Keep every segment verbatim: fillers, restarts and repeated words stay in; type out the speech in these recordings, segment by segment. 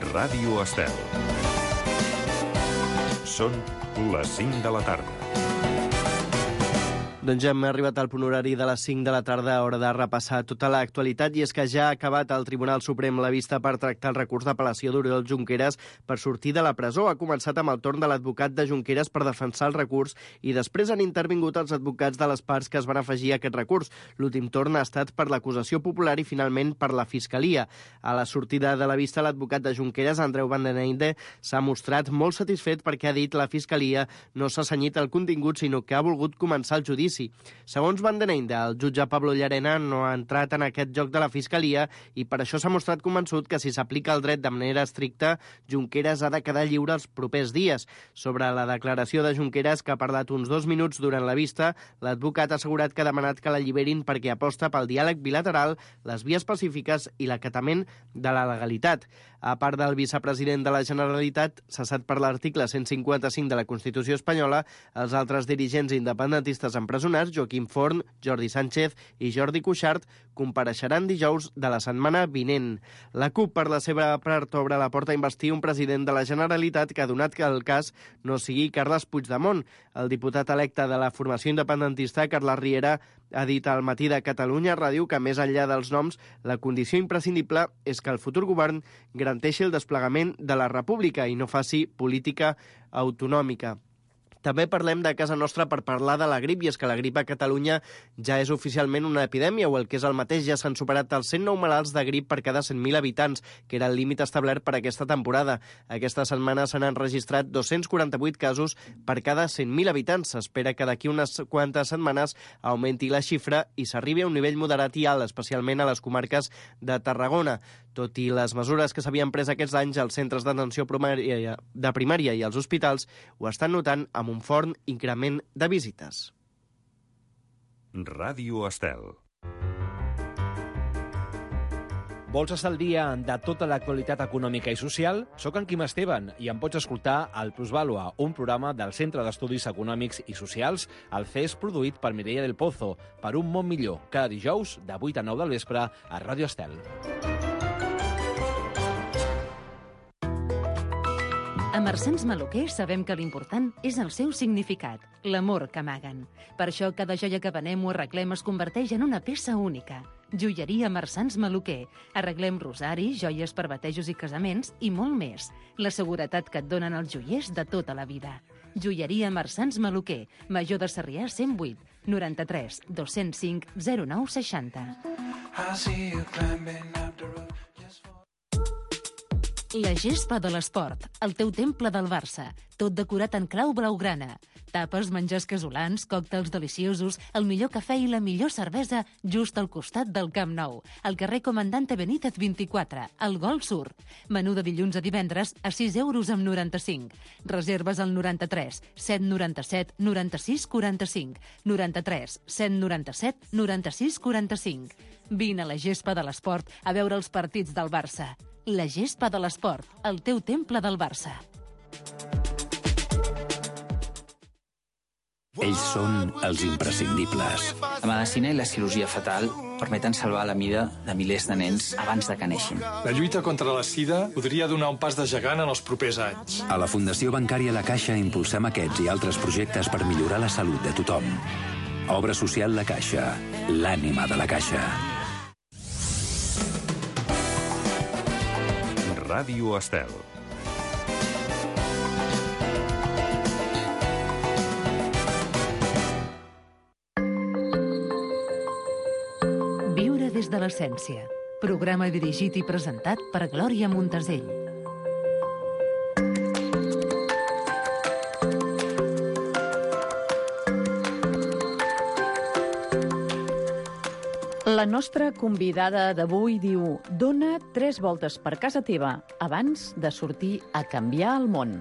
Ràdio Estel. Són les cinc de la tarda. Doncs ja hem arribat al punt horari de les cinc de la tarda, hora de repassar tota l'actualitat, i és que ja ha acabat el Tribunal Suprem la vista per tractar el recurs d'apel·lació d'Oriol Junqueras per sortir de la presó. Ha començat amb el torn de l'advocat de Junqueras per defensar el recurs i després han intervingut els advocats de les parts que es van afegir a aquest recurs. L'últim torn ha estat per l'acusació popular i finalment per la Fiscalia. A la sortida de la vista, l'advocat de Junqueras, Andreu Van den Einde, s'ha mostrat molt satisfet perquè ha dit la Fiscalia no s'ha cenyit al contingut, sinó que ha volgut començar el judici. Segons Van den Einde, el jutge Pablo Llarena no ha entrat en aquest joc de la Fiscalia i per això s'ha mostrat convençut que si s'aplica el dret de manera estricta, Junqueras ha de quedar lliure els propers dies. Sobre la declaració de Junqueras, que ha parlat uns dos minuts durant la vista, l'advocat ha assegurat que ha demanat que l'alliberin perquè aposta pel diàleg bilateral, les vies pacífiques i l'acatament de la legalitat. A part del vicepresident de la Generalitat, cessat per l'article cent cinquanta-cinc de la Constitució espanyola, els altres dirigents independentistes empresonats, Joaquim Forn, Jordi Sánchez i Jordi Cuixart, compareixeran dijous de la setmana vinent. La CUP, per la seva part, obre la porta a investir un president de la Generalitat que ha donat que el cas no sigui Carles Puigdemont. El diputat electe de la formació independentista, Carles Riera, ha dit al Matí de Catalunya Ràdio que, més enllà dels noms, la condició imprescindible és que el futur govern garanteixi el desplegament de la república i no faci política autonòmica. També parlem de casa nostra per parlar de la grip, i és que la grip a Catalunya ja és oficialment una epidèmia, o el que és el mateix, ja s'han superat els cent nou malalts de grip per cada cent mil habitants, que era el límit establert per aquesta temporada. Aquesta setmana s'han enregistrat dos-cents quaranta-vuit casos per cada cent mil habitants. S'espera que d'aquí unes quantes setmanes augmenti la xifra i s'arribi a un nivell moderat i alt, especialment a les comarques de Tarragona. Tot i les mesures que s'havien pres aquests anys, els centres d'atenció primària, de primària i els hospitals ho estan notant amb un fort increment de visites. Ràdio Estel. Vols estar al dia de tota l'actualitat econòmica i social? Soc en Quim Esteban i em pots escoltar al Plusvàlua, un programa del Centre d'Estudis Econòmics i Socials, el C E S, produït per Mireia del Pozo, per un món millor, cada dijous de vuit a nou del vespre a Ràdio Estel. A Marsans Maluquer sabem que l'important és el seu significat, l'amor que amaguen. Per això cada joia que venem o arreglem es converteix en una peça única. Joieria Marsans Maluquer. Arreglem rosaris, joies per batejos i casaments i molt més. La seguretat que et donen els joiers de tota la vida. Joieria Marsans Maluquer, Major de Sarrià cent vuit, noranta-tres, dos-cents cinc, zero nou seixanta. La gespa de l'esport, el teu temple del Barça, tot decorat en clau blaugrana. Tapes, menjars casolans, còctels deliciosos, el millor cafè i la millor cervesa just al costat del Camp Nou, al carrer Comandante Benítez vint-i-quatre, al Golf Sur. Menú de dilluns a divendres a sis euros amb noranta-cinc. Reserves al noranta-tres, set noranta-set, noranta-sis quaranta-cinc, noranta-tres, set noranta-set, noranta-sis quaranta-cinc. Vine a la gespa de l'esport a veure els partits del Barça. La gespa de l'esport, el teu temple del Barça. Ells són els imprescindibles. La medicina i la cirurgia fetal permeten salvar la vida de milers de nens abans de que neixin. La lluita contra la sida podria donar un pas de gegant en els propers anys. A la Fundació Bancària La Caixa impulsem aquests i altres projectes per millorar la salut de tothom. Obra social La Caixa, l'ànima de la Caixa. Ràdio Estel. Viure des de l'essència. Programa dirigit i presentat per Glòria Montesell. La nostra convidada d'avui diu: dona tres voltes per casa teva abans de sortir a canviar el món.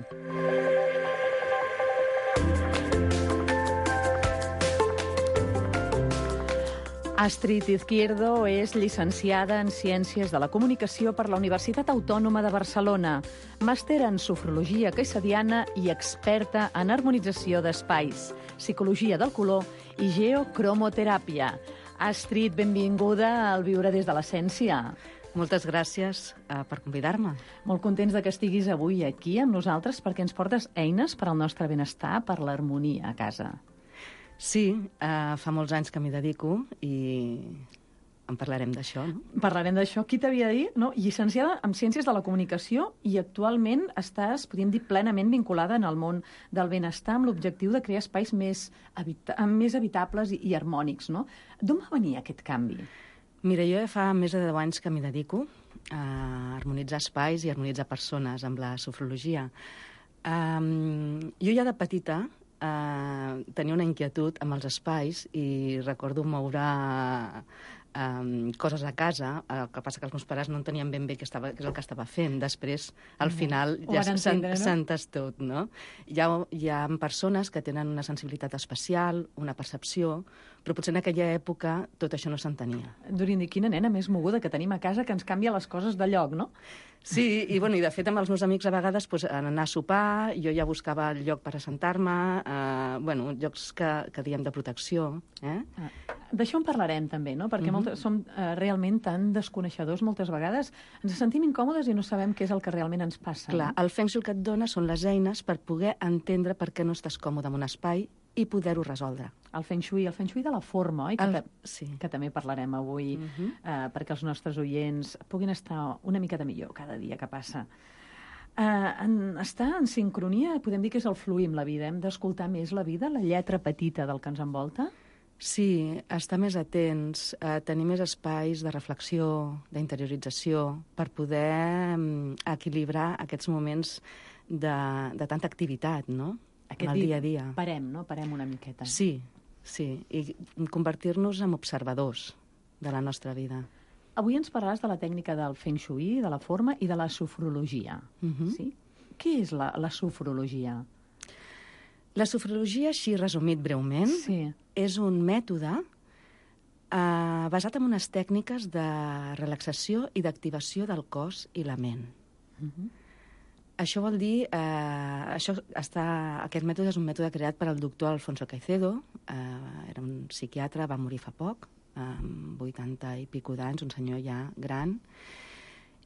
Astrid Izquierdo és llicenciada en Ciències de la Comunicació per la Universitat Autònoma de Barcelona, màster en Sofrologia Caissadiana i experta en harmonització d'espais, psicologia del color i geocromoteràpia. Astrid, benvinguda al Viure des de l'Essència. Moltes gràcies uh, per convidar-me. Molt contents de que estiguis avui aquí amb nosaltres perquè ens portes eines per al nostre benestar, per l'harmonia a casa. Sí, uh, fa molts anys que m'hi dedico i en parlarem d'això, no? Parlarem d'això. Qui t'havia dit? No? Llicenciada en Ciències de la Comunicació i actualment estàs, podríem dir, plenament vinculada en el món del benestar amb l'objectiu de crear espais més, habita més habitables i, i harmònics, no? D'on va venir aquest canvi? Mira, jo ja fa més de deu anys que m'hi dedico a harmonitzar espais i harmonitzar persones amb la sofrologia. Um, jo ja de petita uh, tenia una inquietud amb els espais i recordo moure Um, coses a casa, el que passa que els meus pares no entenien ben bé què, estava, què és el que estava fent. Després, al final, ja s'entès tot, no? Hi ha, hi ha persones que tenen una sensibilitat especial, una percepció, però potser en aquella època tot això no s'entenia. Dorien dir, quina nena més moguda que tenim a casa que ens canvia les coses de lloc, no? Sí, i, bueno, i de fet amb els meus amics a vegades pues, anar a sopar, jo ja buscava el lloc per assentar-me, eh, bueno, llocs que, que diem de protecció. Eh? Ah, d'això en parlarem també, no? Perquè mm-hmm. moltes, som eh, realment tan desconeixedors moltes vegades, ens sentim incòmodes i no sabem què és el que realment ens passa. Clar, no? El Feng Shui que et dona són les eines per poder entendre per què no estàs còmode en un espai i poder-ho resoldre. El Feng Shui, el Feng Shui de la forma, oi? Que, el... ta sí. que també parlarem avui, uh-huh. eh, perquè els nostres oients puguin estar una miqueta millor cada dia que passa. Eh, en, estar en sincronia, podem dir que és el fluir amb la vida. Hem d'escoltar més la vida, la lletra petita del que ens envolta? Sí, estar més atents, eh, tenir més espais de reflexió, d'interiorització, per poder um, equilibrar aquests moments de, de tanta activitat, no? Aquest el dia a dia. Parem, no? Parem una miqueta. Sí, sí, i convertir-nos en observadors de la nostra vida. Avui ens parlaràs de la tècnica del Feng Shui, de la forma i de la sofrologia. Uh-huh. Sí? Què és la, la sofrologia? La sofrologia, així resumit breument, sí. és un mètode eh, basat en unes tècniques de relaxació i d'activació del cos i la ment. Uh-huh. Això vol dir... Eh, això està, aquest mètode és un mètode creat per al doctor Alfonso Caicedo, eh, era un psiquiatre, va morir fa poc, amb vuitanta i pico d'anys, un senyor ja gran,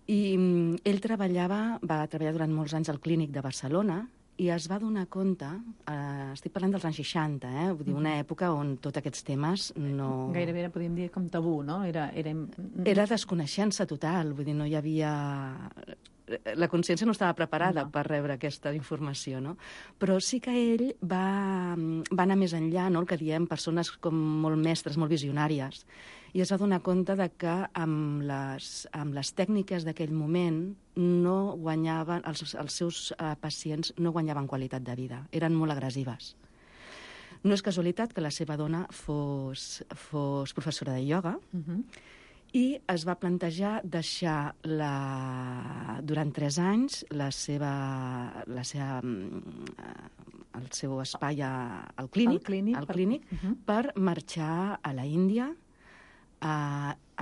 i mm, ell treballava, va treballar durant molts anys al Clínic de Barcelona i es va donar compte, eh, estic parlant dels anys seixanta, eh, vull dir, una època on tots aquests temes no... Gairebé podríem dir com tabú, no? Era, era... era desconeixença total, vull dir, no hi havia... La consciència no estava preparada no. per rebre aquesta informació, no? Però sí que ell va, va anar més enllà, no? El que diem persones com molt mestres, molt visionàries, i es va donar compte de que amb les, amb les tècniques d'aquell moment no guanyaven, els, els seus uh, pacients no guanyaven qualitat de vida, eren molt agressives. No és casualitat que la seva dona fos, fos professora de ioga, uh-huh. i es va plantejar deixar la, durant tres anys la seva, la seva, el seu espai a, al clínic, al clínic, al clínic per, uh-huh. per marxar a la Índia a,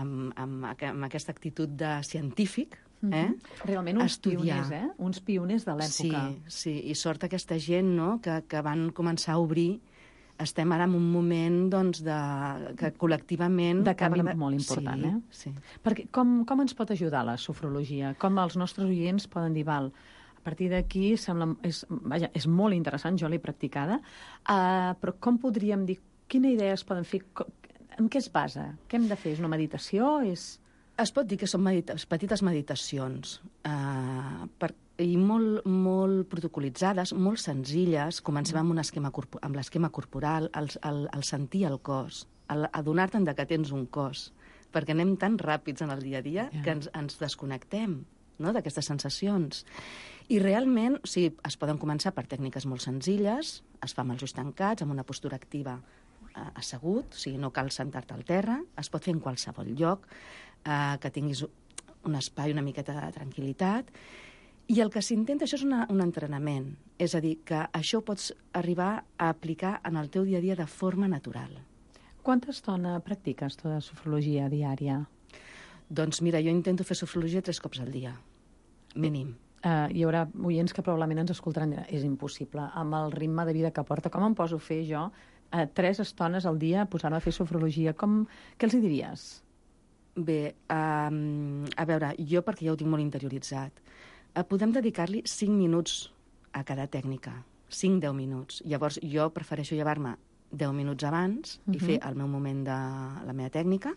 amb, amb, amb aquesta actitud de científic, eh? Uh-huh. Realment uns estudiar. pioners, eh? Uns pioners de l'època. Sí, sí, i sort aquesta gent, no?, que, que van començar a obrir. Estem ara en un moment, doncs, de, que col·lectivament... De canvi molt important, sí, eh? Sí. Perquè com, com ens pot ajudar la sofrologia? Com els nostres oients poden dir, val, a partir d'aquí sembla... És, vaja, és molt interessant, jo l'he practicada, uh, però com podríem dir, quina idea es poden fer? En què es basa? Què hem de fer? És una meditació? És... Es pot dir que són medita petites meditacions, uh, per, i molt, molt protocolitzades, molt senzilles. Comencem amb, un esquema amb l'esquema corporal, el, el, el sentir el cos, el, adonar-te'n que tens un cos, perquè anem tan ràpids en el dia a dia yeah. que ens, ens desconnectem, no?, d'aquestes sensacions. I realment, o sigui, es poden començar per tècniques molt senzilles, es fa amb els ulls tancats, amb una postura activa eh, assegut, o sigui, no cal sentar-te al terra, es pot fer en qualsevol lloc, eh, que tinguis un espai, una miqueta de tranquil·litat, i el que s'intenta, això és una, un entrenament, és a dir, que això ho pots arribar a aplicar en el teu dia a dia de forma natural. Quanta estona practiques tu de sofrologia diària? Doncs mira, jo intento fer sofrologia tres cops al dia, mínim. Uh, hi haurà oients que probablement ens escoltaran, és impossible, amb el ritme de vida que porta, com em poso a fer jo uh, tres estones al dia posant-me a fer sofrologia? Com... Què els hi diries? Bé, um, a veure, jo perquè ja ho tinc molt interioritzat, uh, podem dedicar-li cinc minuts a cada tècnica, cinc deu minuts. Llavors jo prefereixo llevar-me deu minuts abans uh-huh. i fer el meu moment de la meva tècnica.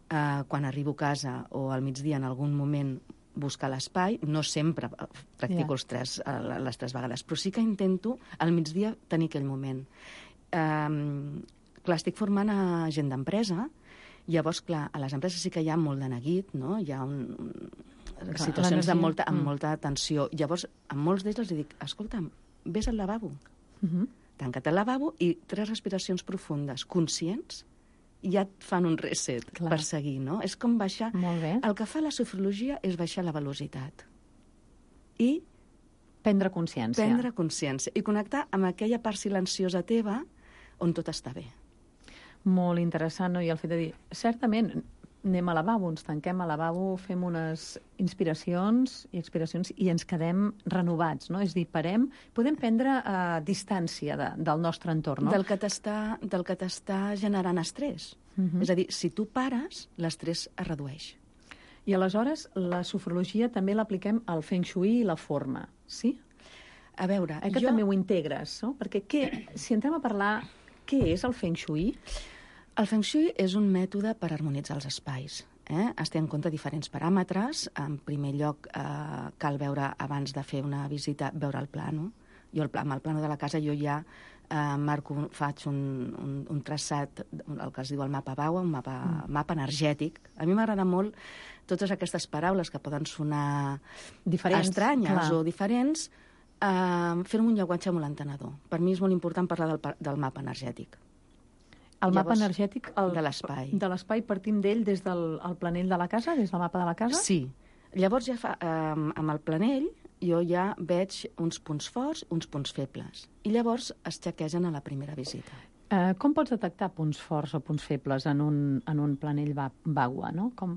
Uh, quan arribo a casa o al migdia en algun moment buscar l'espai, no sempre practico yeah. els tres, uh, les tres vegades, però sí que intento al migdia tenir aquell moment. Um, clar, estic formant a gent d'empresa, llavors, clar, a les empreses sí que hi ha molt de neguit, no? Hi ha un, un, situacions de molta, amb mm. molta tensió. Llavors, a molts d'ells els dic, escolta'm, vés al lavabo, uh-huh. tanca't al lavabo i tres respiracions profundes, conscients, ja et fan un reset Clar. per seguir, no? És com baixar... Molt bé. El que fa la sofrologia és baixar la velocitat. I... Prendre consciència. Prendre consciència. I connectar amb aquella part silenciosa teva on tot està bé. Molt interessant, no? I el fet de dir, certament, anem al lavabo, ens tanquem al lavabo, fem unes inspiracions i expiracions i ens quedem renovats, no? És a dir, parem, podem prendre uh, distància de, del nostre entorn, no? Del que t'està del que t'està generant estrès. Uh-huh. És a dir, si tu pares, l'estrès es redueix. I aleshores, la sofrologia també l'apliquem al feng shui i la forma, sí? A veure, eh, que jo... també ho integres, no? Perquè què, si entrem a parlar, què és el feng shui? El feng shui és un mètode per harmonitzar els espais. Eh? Es té en compte diferents paràmetres. En primer lloc, eh, cal veure, abans de fer una visita, veure el plano. Jo, el, amb el plano de la casa, jo ja eh, marco, faig un, un, un traçat, el que es diu el mapa B A U A, un mapa, mm. mapa energètic. A mi m'agrada molt totes aquestes paraules que poden sonar diferents, estranyes clar. o diferents, eh, fer-ho un llenguatge molt entenedor. Per mi és molt important parlar del, del mapa energètic. El Llavors, mapa energètic el, de l'espai. De l'espai partim d'ell des del el planell de la casa, des del mapa de la casa? Sí. Llavors, ja fa, eh, amb el planell, jo ja veig uns punts forts, uns punts febles. I llavors es xequegen a la primera visita. Eh, com pots detectar punts forts o punts febles en un, en un planell B A U A, no? Com...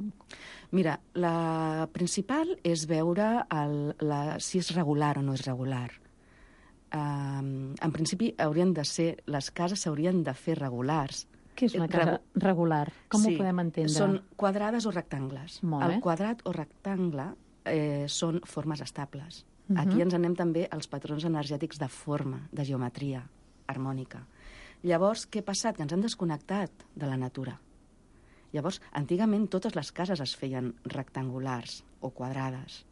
Mira, la principal és veure el, la, si és regular o no és regular. Um, en principi haurien de ser, les cases s'haurien de fer regulars. Què és una casa Regu... regular? Com sí, ho podem entendre? Són quadrades o rectangles. Molt bé. El quadrat o rectangle eh, són formes estables. Uh-huh. Aquí ens anem també als patrons energètics de forma, de geometria harmònica. Llavors, què ha passat? Que ens han desconnectat de la natura. Llavors, antigament totes les cases es feien rectangulars o quadrades.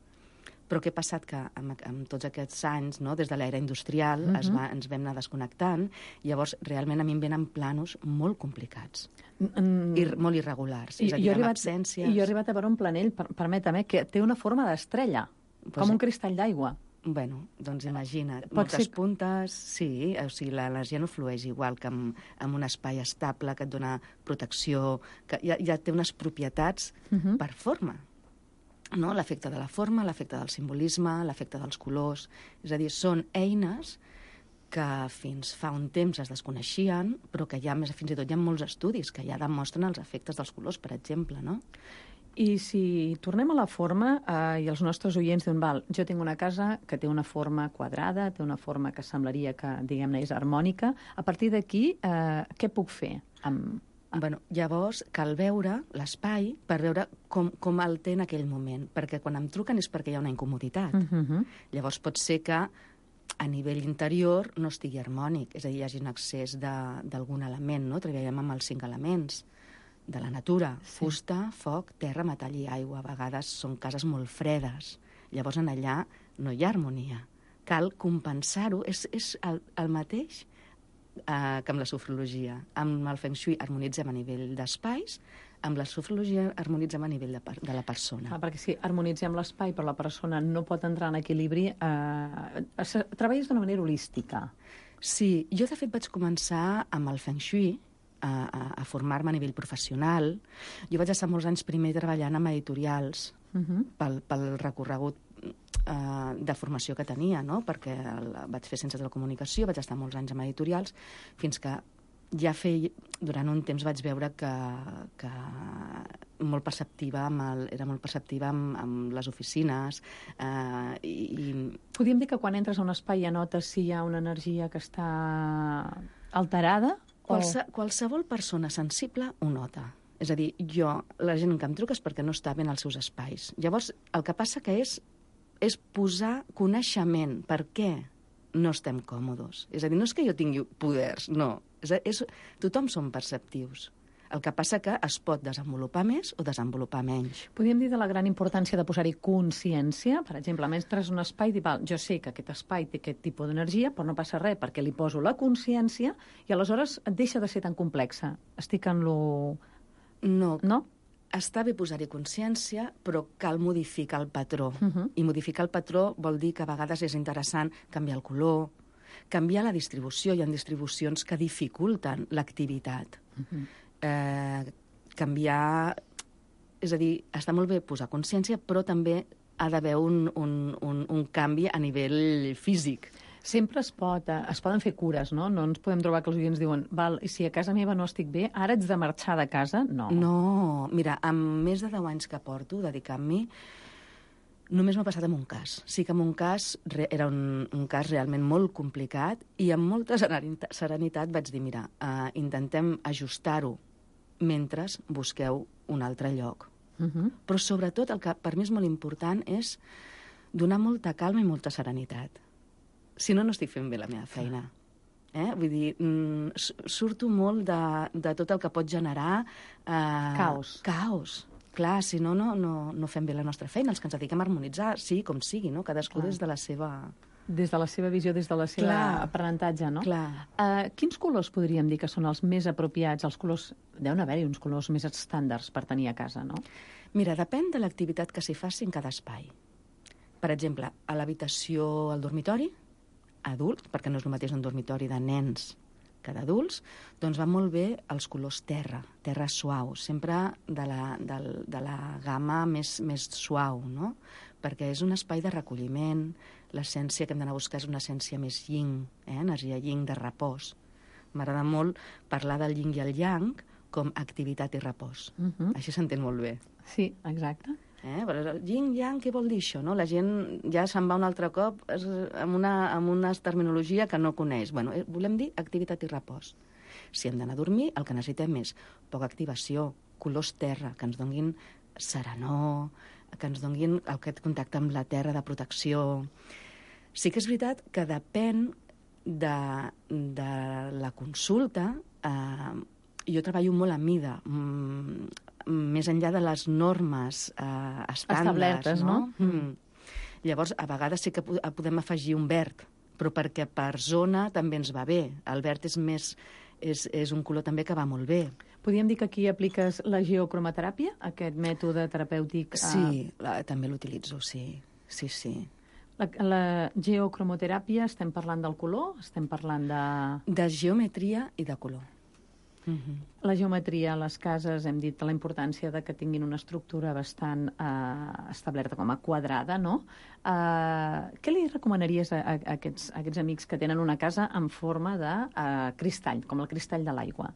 Però què ha passat? Que amb, amb tots aquests anys, no, des de l'era industrial, uh-huh. es va, ens vam anar desconnectant, i llavors realment a mi em venen planos molt complicats, mm. i molt irregulars, és a dir, amb absències... I jo he arribat a veure un planell, per, permeta-me, que té una forma d'estrella, pues, com un cristall d'aigua. Bueno, doncs imagina't, Pot moltes ser... puntes, sí, o sigui, l'energia no flueix igual que amb, amb un espai estable que et dona protecció, que ja, ja té unes propietats uh-huh. per forma. No? L'efecte de la forma, l'efecte del simbolisme, l'efecte dels colors. És a dir, són eines que fins fa un temps es desconeixien, però que ja més fins i tot hi ha molts estudis que ja demostren els efectes dels colors, per exemple, no? I si tornem a la forma, eh, i els nostres oients diuen, val, jo tinc una casa que té una forma quadrada, té una forma que semblaria que, diguem-ne, és harmònica, a partir d'aquí, eh, què puc fer amb... Bueno, llavors cal veure l'espai per veure com, com el té en aquell moment, perquè quan em truquen és perquè hi ha una incomoditat. Uh-huh. Llavors pot ser que a nivell interior no estigui harmònic, és a dir, hi hagi un excés d'algun element, no? Treballem amb els cinc elements de la natura, sí. Fusta, foc, terra, metall i aigua. A vegades són cases molt fredes, llavors en allà no hi ha harmonia. Cal compensar-ho, és, és el, el mateix Uh, que amb la sofrologia. Amb el feng shui harmonitzem a nivell d'espais, amb la sofrologia harmonitzem a nivell de, de la persona. Ah, perquè si harmonitzem l'espai però la persona no pot entrar en equilibri, eh, treballes d'una manera holística. Sí, jo de fet vaig començar amb el feng shui a, a, a formar-me a nivell professional. Jo vaig estar molts anys primer treballant amb editorials uh-huh. pel, pel recorregut de formació que tenia, no? Perquè el, vaig fer Ciències de la Comunicació, vaig estar molts anys amb editorials, fins que ja feia, durant un temps vaig veure que, que molt perceptiva amb el, era molt perceptiva amb, amb les oficines. Eh, i, Podríem dir que quan entres a un espai ja notes si hi ha una energia que està alterada? Qualse, o... Qualsevol persona sensible ho nota. És a dir, jo, la gent que em truca és perquè no està bé en els seus espais. Llavors, el que passa que és, és posar coneixement. Per què no estem còmodes? És a dir, no és que jo tingui poders, no. És, és, tothom som perceptius. El que passa que es pot desenvolupar més o desenvolupar menys. Podríem dir de la gran importància de posar-hi consciència. Per exemple, mentre un espai, dir, val, jo sé que aquest espai té aquest tipus d'energia, però no passa res perquè li poso la consciència i aleshores et deixa de ser tan complexa. Estic en lo... No. No? Està bé posar-hi consciència, però cal modificar el patró. Uh -huh. I modificar el patró vol dir que a vegades és interessant canviar el color, canviar la distribució. Hi ha distribucions que dificulten l'activitat. Uh -huh. eh, canviar... És a dir, està molt bé posar consciència, però també ha d'haver un, un, un, un canvi a nivell físic. Sempre es, pot, es poden fer cures, no? No ens podem trobar que els oients diuen val, i si a casa meva no estic bé, ara ets de marxar de casa? No. No. Mira, amb més de deu anys que porto dedicant-m'hi, només m'ha passat amb un cas. Sí que amb un cas era un, un cas realment molt complicat i amb molta serenitat vaig dir, mira, uh, intentem ajustar-ho mentre busqueu un altre lloc. Uh -huh. Però sobretot el que per mi és molt important és donar molta calma i molta serenitat. Si no, no estic fent bé la meva feina. Eh? Vull dir, mm, surto molt de, de tot el que pot generar... Eh, caos. Caos. Clar, si no, no, no, no fem bé la nostra feina. Els que ens dediquem a harmonitzar, sí, com sigui, no? Cadascú Clar. des de la seva... Des de la seva visió, des de la seva Clar. aprenentatge, no? Clar. Uh, quins colors podríem dir que són els més apropiats? Els colors... Deuen haver-hi uns colors més estàndards per tenir a casa, no? Mira, depèn de l'activitat que s'hi faci en cada espai. Per exemple, a l'habitació, al dormitori, adults, perquè no és el mateix un dormitori de nens que d'adults, doncs van molt bé els colors terra, terra suau, sempre de la, de, de la gamma més, més suau, no? Perquè és un espai de recolliment, l'essència que hem d'anar a buscar és una essència més yin, eh? Energia yin de repòs. M'agrada molt parlar del yin i el yang com activitat i repòs. Uh -huh. Així s'entén molt bé. Sí, exacte. Eh? Però yin-yang, què vol dir això? No? La gent ja se'n va un altre cop amb una, amb una terminologia que no coneix. Bueno, volem dir activitat i repòs. Si hem d'anar a dormir, el que necessitem és poca activació, colors terra, que ens donguin serenor, que ens donguin aquest contacte amb la terra de protecció. Sí que és veritat que depèn de, de la consulta. Eh, jo treballo molt a mida, mm, més enllà de les normes eh, estàndards. Establertes, no? no? Mm. Llavors, a vegades sí que podem afegir un verd, però perquè per zona també ens va bé. El verd és, més, és, és un color també que va molt bé. Podríem dir que aquí apliques la geocromateràpia, aquest mètode terapèutic? Sí, la, també l'utilitzo, sí. Sí, sí. La, la geocromoteràpia, estem parlant del color? Estem parlant de... De geometria i de color. Uh-huh. La geometria a les cases, hem dit la importància de que tinguin una estructura bastant eh, establerta com a quadrada, no? Eh, què li recomanaries a, a, a, aquests, a aquests amics que tenen una casa en forma de eh, cristall, com el cristall de l'aigua?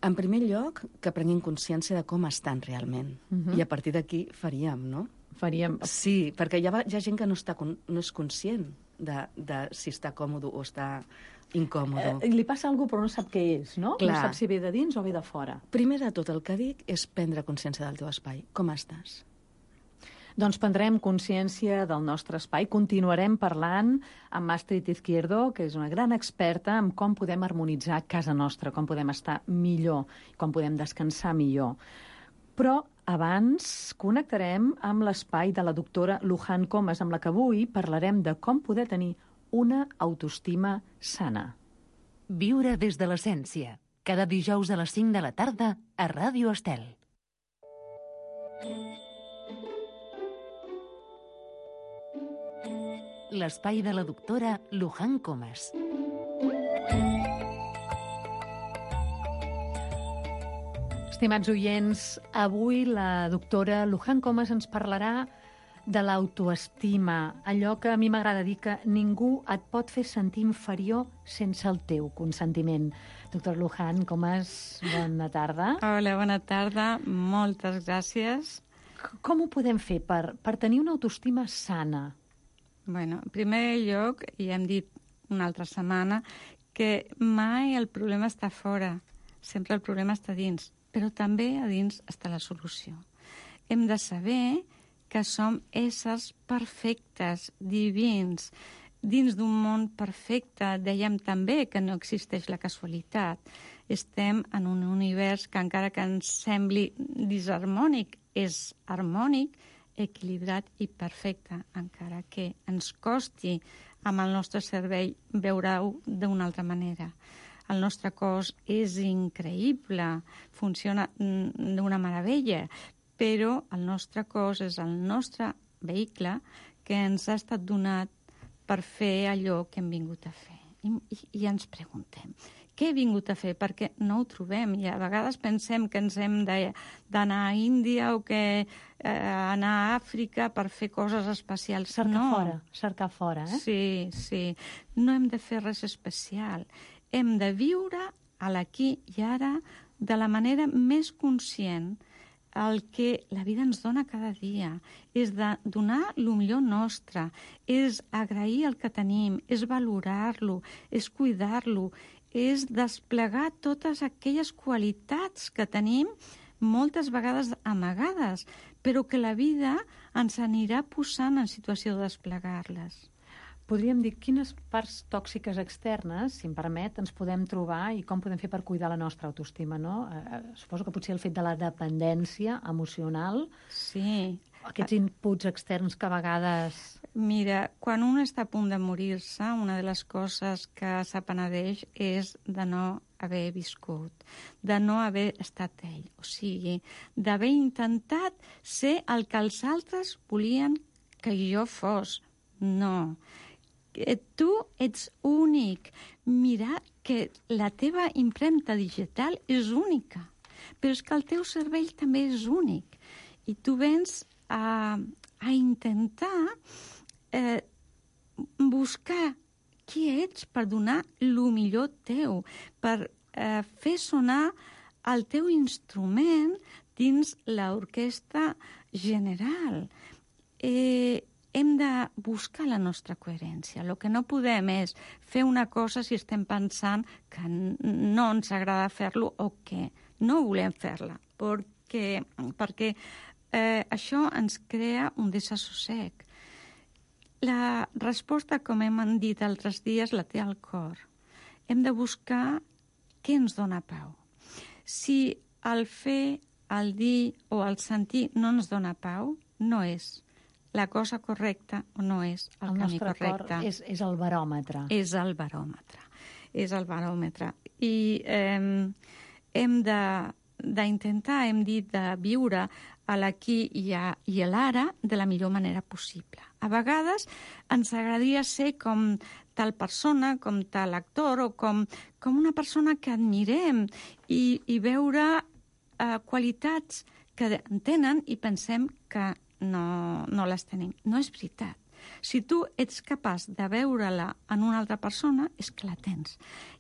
En primer lloc, que prenguin consciència de com estan realment. Uh-huh. I a partir d'aquí faríem, no? Faríem... Sí, perquè hi ha, hi ha gent que no, està, no és conscient de, de si està còmode o està... incòmode. Eh, li passa alguna cosa però no sap què és, no? Clar. No sap si ve de dins o ve de fora. Primer de tot el que dic és prendre consciència del teu espai. Com estàs? Doncs prendrem consciència del nostre espai. Continuarem parlant amb Astrid Izquierdo, que és una gran experta en com podem harmonitzar casa nostra, com podem estar millor, com podem descansar millor. Però abans connectarem amb l'espai de la doctora Luján Comas, amb la que avui parlarem de com poder tenir una autoestima sana. Viure des de l'essència. Cada dijous a les cinc de la tarda a Ràdio Estel. L'espai de la doctora Luján Comas. Estimats oients, avui la doctora Luján Comas ens parlarà de l'autoestima, allò que a mi m'agrada dir que ningú et pot fer sentir inferior sense el teu consentiment. Doctor Luján Comas, bona tarda. Hola, bona tarda, moltes gràcies. Com ho podem fer per, per tenir una autoestima sana? Bueno, en primer lloc, ja hem dit una altra setmana, que mai el problema està fora, sempre el problema està dins. però també a dins està la solució. Hem de saber que som éssers perfectes, divins, dins d'un món perfecte. Dèiem també que no existeix la casualitat. Estem en un univers que, encara que ens sembli disharmònic, és harmònic, equilibrat i perfecte, encara que ens costi amb el nostre cervell veure-ho d'una altra manera. El nostre cos és increïble, funciona d'una meravella, però el nostre cos és el nostre vehicle que ens ha estat donat per fer allò que hem vingut a fer. I, i, i ens preguntem, què he vingut a fer? Perquè no ho trobem i a vegades pensem que ens hem d'anar a Índia o que eh, anar a Àfrica per fer coses especials. Cercar no. fora, cercar fora, eh? Sí, sí. No hem de fer res especial. Hem de viure a l'aquí i ara de la manera més conscient. El que la vida ens dona cada dia és de donar el millor nostre, és agrair el que tenim, és valorar-lo, és cuidar-lo, és desplegar totes aquelles qualitats que tenim moltes vegades amagades, però que la vida ens anirà posant en situació de desplegar-les. Podríem dir quines parts tòxiques externes, si em permet, ens podem trobar i com podem fer per cuidar la nostra autoestima, no? Eh, suposo que potser el fet de la dependència emocional, sí, aquests inputs externs que a vegades... Mira, quan un està a punt de morir-se, una de les coses que s'apenedeix és de no haver viscut, de no haver estat ell. O sigui, d'haver intentat ser el que els altres volien que jo fos. No. Tu ets únic. Mira que la teva impremta digital és única, però és que el teu cervell també és únic. I tu vens a, a intentar eh, buscar qui ets per donar el millor teu, per eh, fer sonar el teu instrument dins l'orquestra general. Eh, hem de buscar la nostra coherència. El que no podem és fer una cosa si estem pensant que no ens agrada fer-lo o que no volem fer-la, perquè, perquè eh, això ens crea un desassossec. La resposta, com hem dit altres dies, la té al cor. Hem de buscar què ens dona pau. Si el fer, el dir o el sentir no ens dona pau, no és la cosa correcta o no és el, el camí correcte. El nostre cor és, és el baròmetre. És el baròmetre. És el baròmetre. I eh, hem d'intentar, hem dit, de viure a l'aquí i a, i a l'ara de la millor manera possible. A vegades ens agradaria ser com tal persona, com tal actor o com, com una persona que admirem i, i veure eh, qualitats que tenen i pensem que no, no les tenim. No és veritat. Si tu ets capaç de veure-la en una altra persona, és que la tens.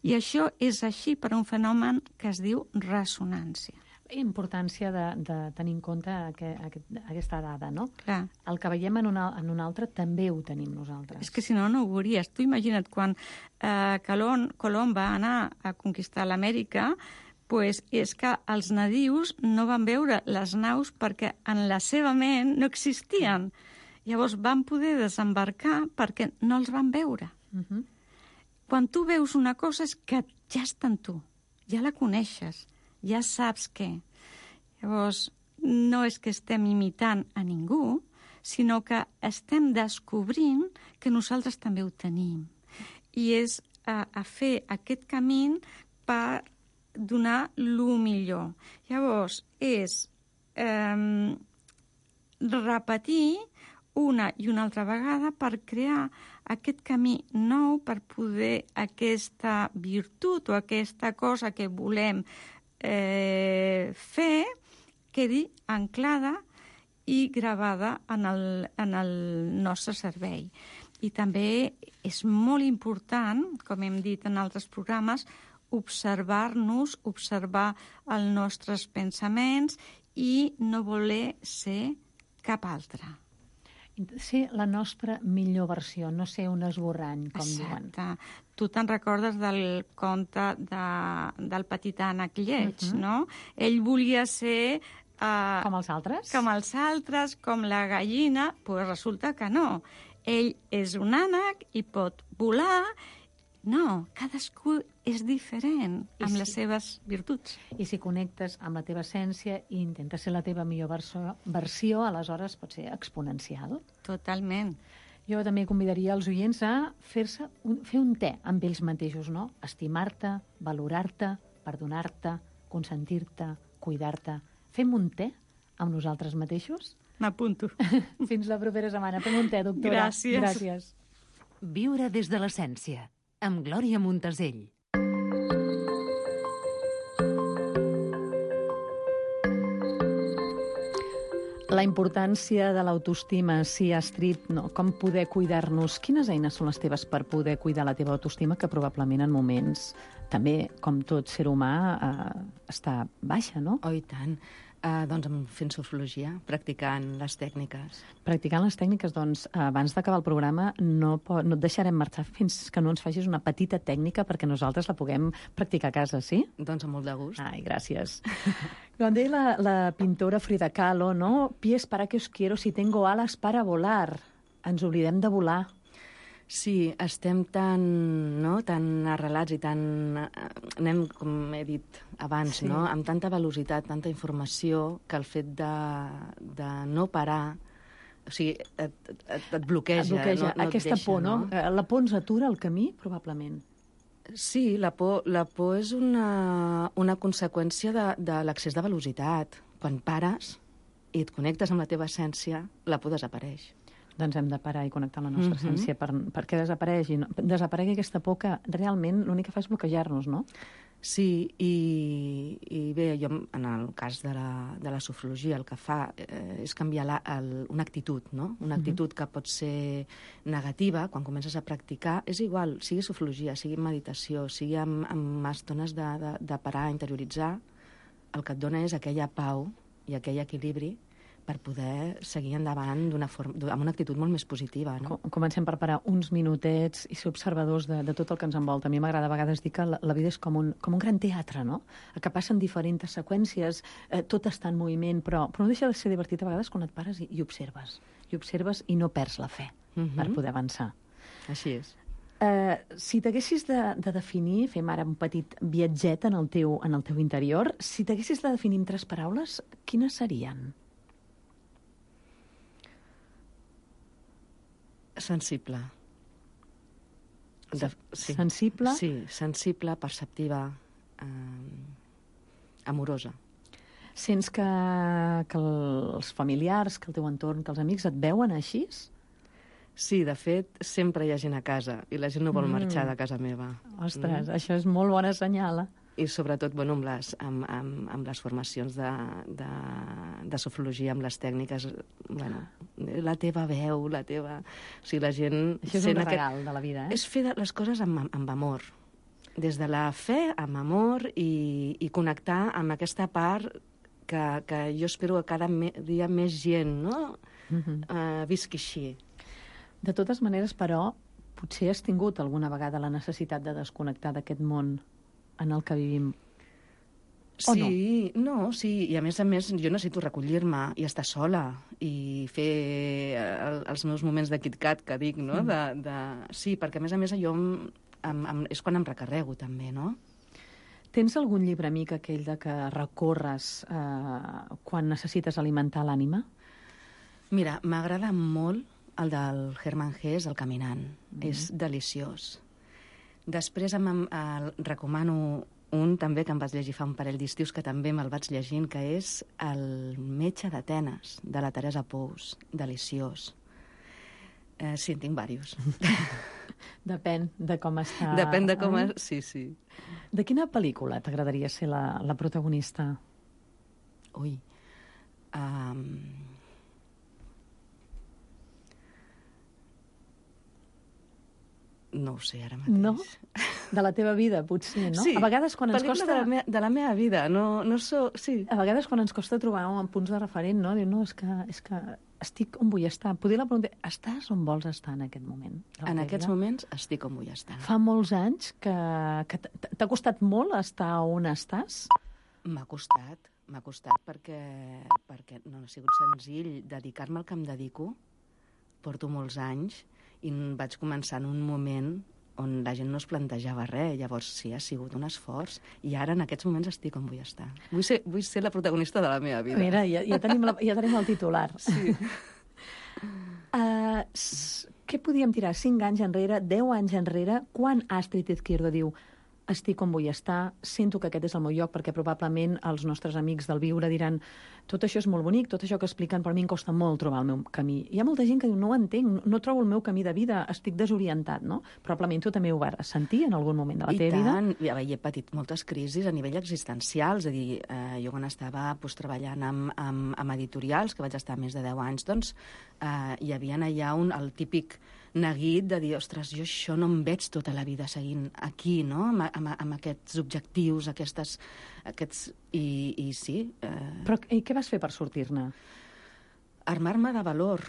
I això és així per un fenomen que es diu ressonància. Importància de, de tenir en compte aquest, aquesta dada, no? Clar. El que veiem en un, en un altre també ho tenim nosaltres. És que si no, no ho veuries. Tu imagina't quan eh, Colom, Colom va anar a conquistar l'Amèrica, pues és que els nadius no van veure les naus perquè en la seva ment no existien. Llavors van poder desembarcar perquè no els van veure. Uh-huh. Quan tu veus una cosa és que ja està en tu, ja la coneixes, ja saps què. Llavors, no és que estem imitant a ningú, sinó que estem descobrint que nosaltres també ho tenim. I és a, a fer aquest camí per donar el millor. Llavors, és eh, repetir una i una altra vegada per crear aquest camí nou, per poder aquesta virtut o aquesta cosa que volem eh, fer quedi anclada i gravada en el, en el nostre cervell. I també és molt important, com hem dit en altres programes, observar-nos, observar els nostres pensaments i no voler ser cap altre. ser la nostra millor versió, no ser un esborrany, com diuen. Exacte. Tu te'n recordes del conte de, del petit ànec lleig, uh-huh. no? Ell volia ser... Uh, com els altres? Com els altres, com la gallina, però resulta que no. Ell és un ànec i pot volar. No, cadascú és diferent I amb si, les seves virtuts. I si connectes amb la teva essència i intentes ser la teva millor versió, versió aleshores pot ser exponencial. Totalment. Jo també convidaria els oients a fer-se un, fer un te amb ells mateixos, no? Estimar-te, valorar-te, perdonar-te, consentir-te, cuidar-te. Fem un te amb nosaltres mateixos? M'apunto. Fins la propera setmana. Fem un te, doctora. Gràcies. Gràcies. Viure des de l'essència, amb Glòria Montasell. La importància de l'autoestima, sí, Astrid, no? Com poder cuidar-nos? Quines eines són les teves per poder cuidar la teva autoestima, que probablement en moments, també, com tot ser humà, eh, està baixa, no? Oh, i tant. Uh, doncs fent sofrologia, practicant les tècniques. Practicant les tècniques, doncs, abans d'acabar el programa no, po- no et deixarem marxar fins que no ens facis una petita tècnica perquè nosaltres la puguem practicar a casa, sí? Doncs amb molt de gust. Ai, gràcies. Com deia la, la pintora Frida Kahlo, no? Pies, para que os quiero si tengo alas para volar. Ens oblidem de volar. Sí, estem tan, no, tan arrelats i tan... Anem, com he dit abans, Sí. no? Amb tanta velocitat, tanta informació, que el fet de, de no parar, o sigui, et, et, et bloqueja. Et bloqueja. No, no et Aquesta deixa, por, no? Eh, La por ens atura el camí, probablement. Sí, la por, la por és una, una conseqüència de, de l'excés de velocitat. Quan pares i et connectes amb la teva essència, la por desapareix. Doncs hem de parar i connectar amb la nostra Mhm. essència per, perquè desaparegui, no? desaparegui aquesta por que realment l'únic que fa és bloquejar-nos, no? Sí, i, i bé, jo en el cas de la, de la sofrologia el que fa eh, és canviar la, el, una actitud, no? Una actitud uh-huh. que pot ser negativa quan comences a practicar. És igual, sigui sofrologia, sigui meditació, sigui amb, amb estones de, de, de parar, interioritzar, el que et dona és aquella pau i aquell equilibri per poder seguir endavant d'una forma, amb una actitud molt més positiva. No? Comencem per parar uns minutets i ser observadors de, de tot el que ens envolta. A mi m'agrada a vegades dir que la, la vida és com un, com un gran teatre, no? Que passen diferents seqüències, eh, tot està en moviment, però, però no deixa de ser divertit a vegades quan et pares i, i observes. I observes i no perds la fe Mhm. per poder avançar. Així és. Eh, si t'haguessis de, de definir, fem ara un petit viatget en el teu, en el teu interior, si t'haguessis de definir en tres paraules, quines serien? Sensible. De, sí. Sensible? Sí, sensible, perceptiva, eh, amorosa. Sents que, que els familiars, que el teu entorn, que els amics et veuen així? Sí, de fet, sempre hi ha gent a casa i la gent no vol Mm. marxar de casa meva. Ostres, mm. això és molt bona senyal. I sobretot, bueno, amb les, amb, amb, amb les formacions de, de, de sofrologia, amb les tècniques, bueno, la teva veu, la teva... O sigui, la gent... Això és un regal aquest... de la vida, eh? És fer les coses amb, amb amor. Des de la fe, amb amor, i, i connectar amb aquesta part que, que jo espero que cada me, dia més gent, no?, Mm-hmm. uh, visqui així. De totes maneres, però, potser has tingut alguna vegada la necessitat de desconnectar d'aquest món en el que vivim. O Sí, no? no, sí, i a més a més jo necessito recollir-me i estar sola i fer el, els meus moments de KitKat, que dic, no? De, de... Sí, perquè a més a més jo em, em, em, és quan em recarrego també, no? Tens algun llibre amic aquell de que recorres eh, quan necessites alimentar l'ànima? Mira, m'agrada molt el del Hermann Hesse, El caminant. Mm. És deliciós. Després em, em, el, recomano un també que em vaig llegir fa un parell d'estius, que també me'l vaig llegint, que és El metge d'Atenes, de la Teresa Pous. Deliciós. Eh, sí, en tinc diversos. Depèn de com està... Depèn de com... És... Sí, sí. De quina pel·lícula t'agradaria ser la, la protagonista? Ui. Um... No ho sé ara mateix. No? De la teva vida, potser, no? Sí, a vegades quan ens pel·lícula costa... de la, me de la meva vida, no, no so... Sí. A vegades quan ens costa trobar un punts de referent, no? Diu, no, és que, és que estic on vull estar. Poder la pregunta, estàs on vols estar en aquest moment? En aquests moments estic on vull estar. Fa molts anys que, que t'ha costat molt estar on estàs? M'ha costat, m'ha costat perquè, perquè no ha sigut senzill dedicar-me al que em dedico. Porto molts anys i vaig començar en un moment on la gent no es plantejava res, llavors sí, ha sigut un esforç, i ara en aquests moments estic on vull estar. Vull ser, vull ser la protagonista de la meva vida. Mira, ja, ja, tenim, la, ja tenim el titular. Sí. uh, s- què podíem tirar? Cinc anys enrere, deu anys enrere, quan Astrid Izquierdo diu estic on vull estar, sento que aquest és el meu lloc, perquè probablement els nostres amics del viure diran tot això és molt bonic, tot això que expliquen, però a mi em costa molt trobar el meu camí. Hi ha molta gent que diu no ho entenc, no trobo el meu camí de vida, estic desorientat, no? Probablement tu també ho vas sentir en algun moment de la I teva vida. tant, ja, he patit moltes crisis a nivell existencial, és a dir, eh, jo quan estava pues, treballant amb, amb, amb editorials, que vaig estar més de deu anys, doncs eh, hi havia allà un, el típic neguit de dir, ostres, jo això no em veig tota la vida seguint aquí, no?, amb, amb, amb aquests objectius, aquestes, aquests... I, i sí. Eh... Però i què vas fer per sortir-ne? Armar-me de valor,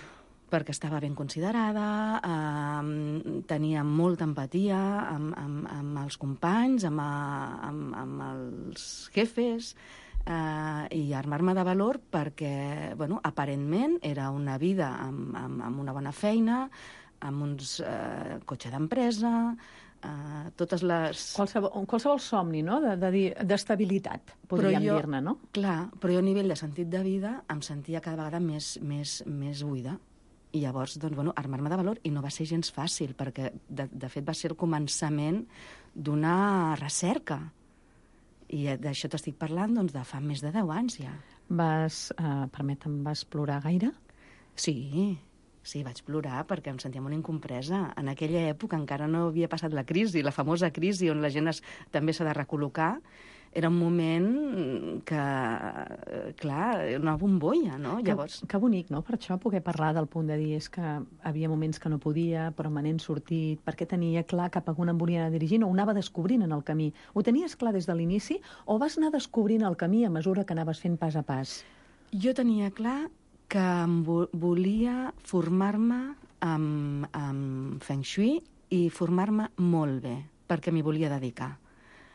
perquè estava ben considerada, eh, tenia molta empatia amb, amb, amb els companys, amb, amb, amb els jefes, eh, i armar-me de valor perquè, bueno, aparentment era una vida amb, amb, amb una bona feina, amb uns eh, cotxe d'empresa, eh, totes les... Qualsevol, qualsevol somni, no?, de, de dir d'estabilitat, podríem jo, dir-ne, no? Clar, però jo a nivell de sentit de vida em sentia cada vegada més, més, més buida. I llavors, doncs, bueno, armar-me de valor, i no va ser gens fàcil, perquè, de, de fet, va ser el començament d'una recerca. I d'això t'estic parlant, doncs, de fa més de deu anys, ja. Vas, eh, permetem, vas plorar gaire? Sí, sí, vaig plorar perquè em sentia molt incompresa. En aquella època encara no havia passat la crisi, la famosa crisi on la gent es, també s'ha de recol·locar. Era un moment que, clar, una bombolla, no? Que, Llavors... que bonic, no?, per això poder parlar del punt de dir és que havia moments que no podia, però me n'he sortit, perquè tenia clar cap a on em volia anar dirigint, o ho anava descobrint en el camí. Ho tenies clar des de l'inici, o vas anar descobrint el camí a mesura que anaves fent pas a pas? Jo tenia clar que em vo volia formar-me amb, amb Feng Shui i formar-me molt bé, perquè m'hi volia dedicar.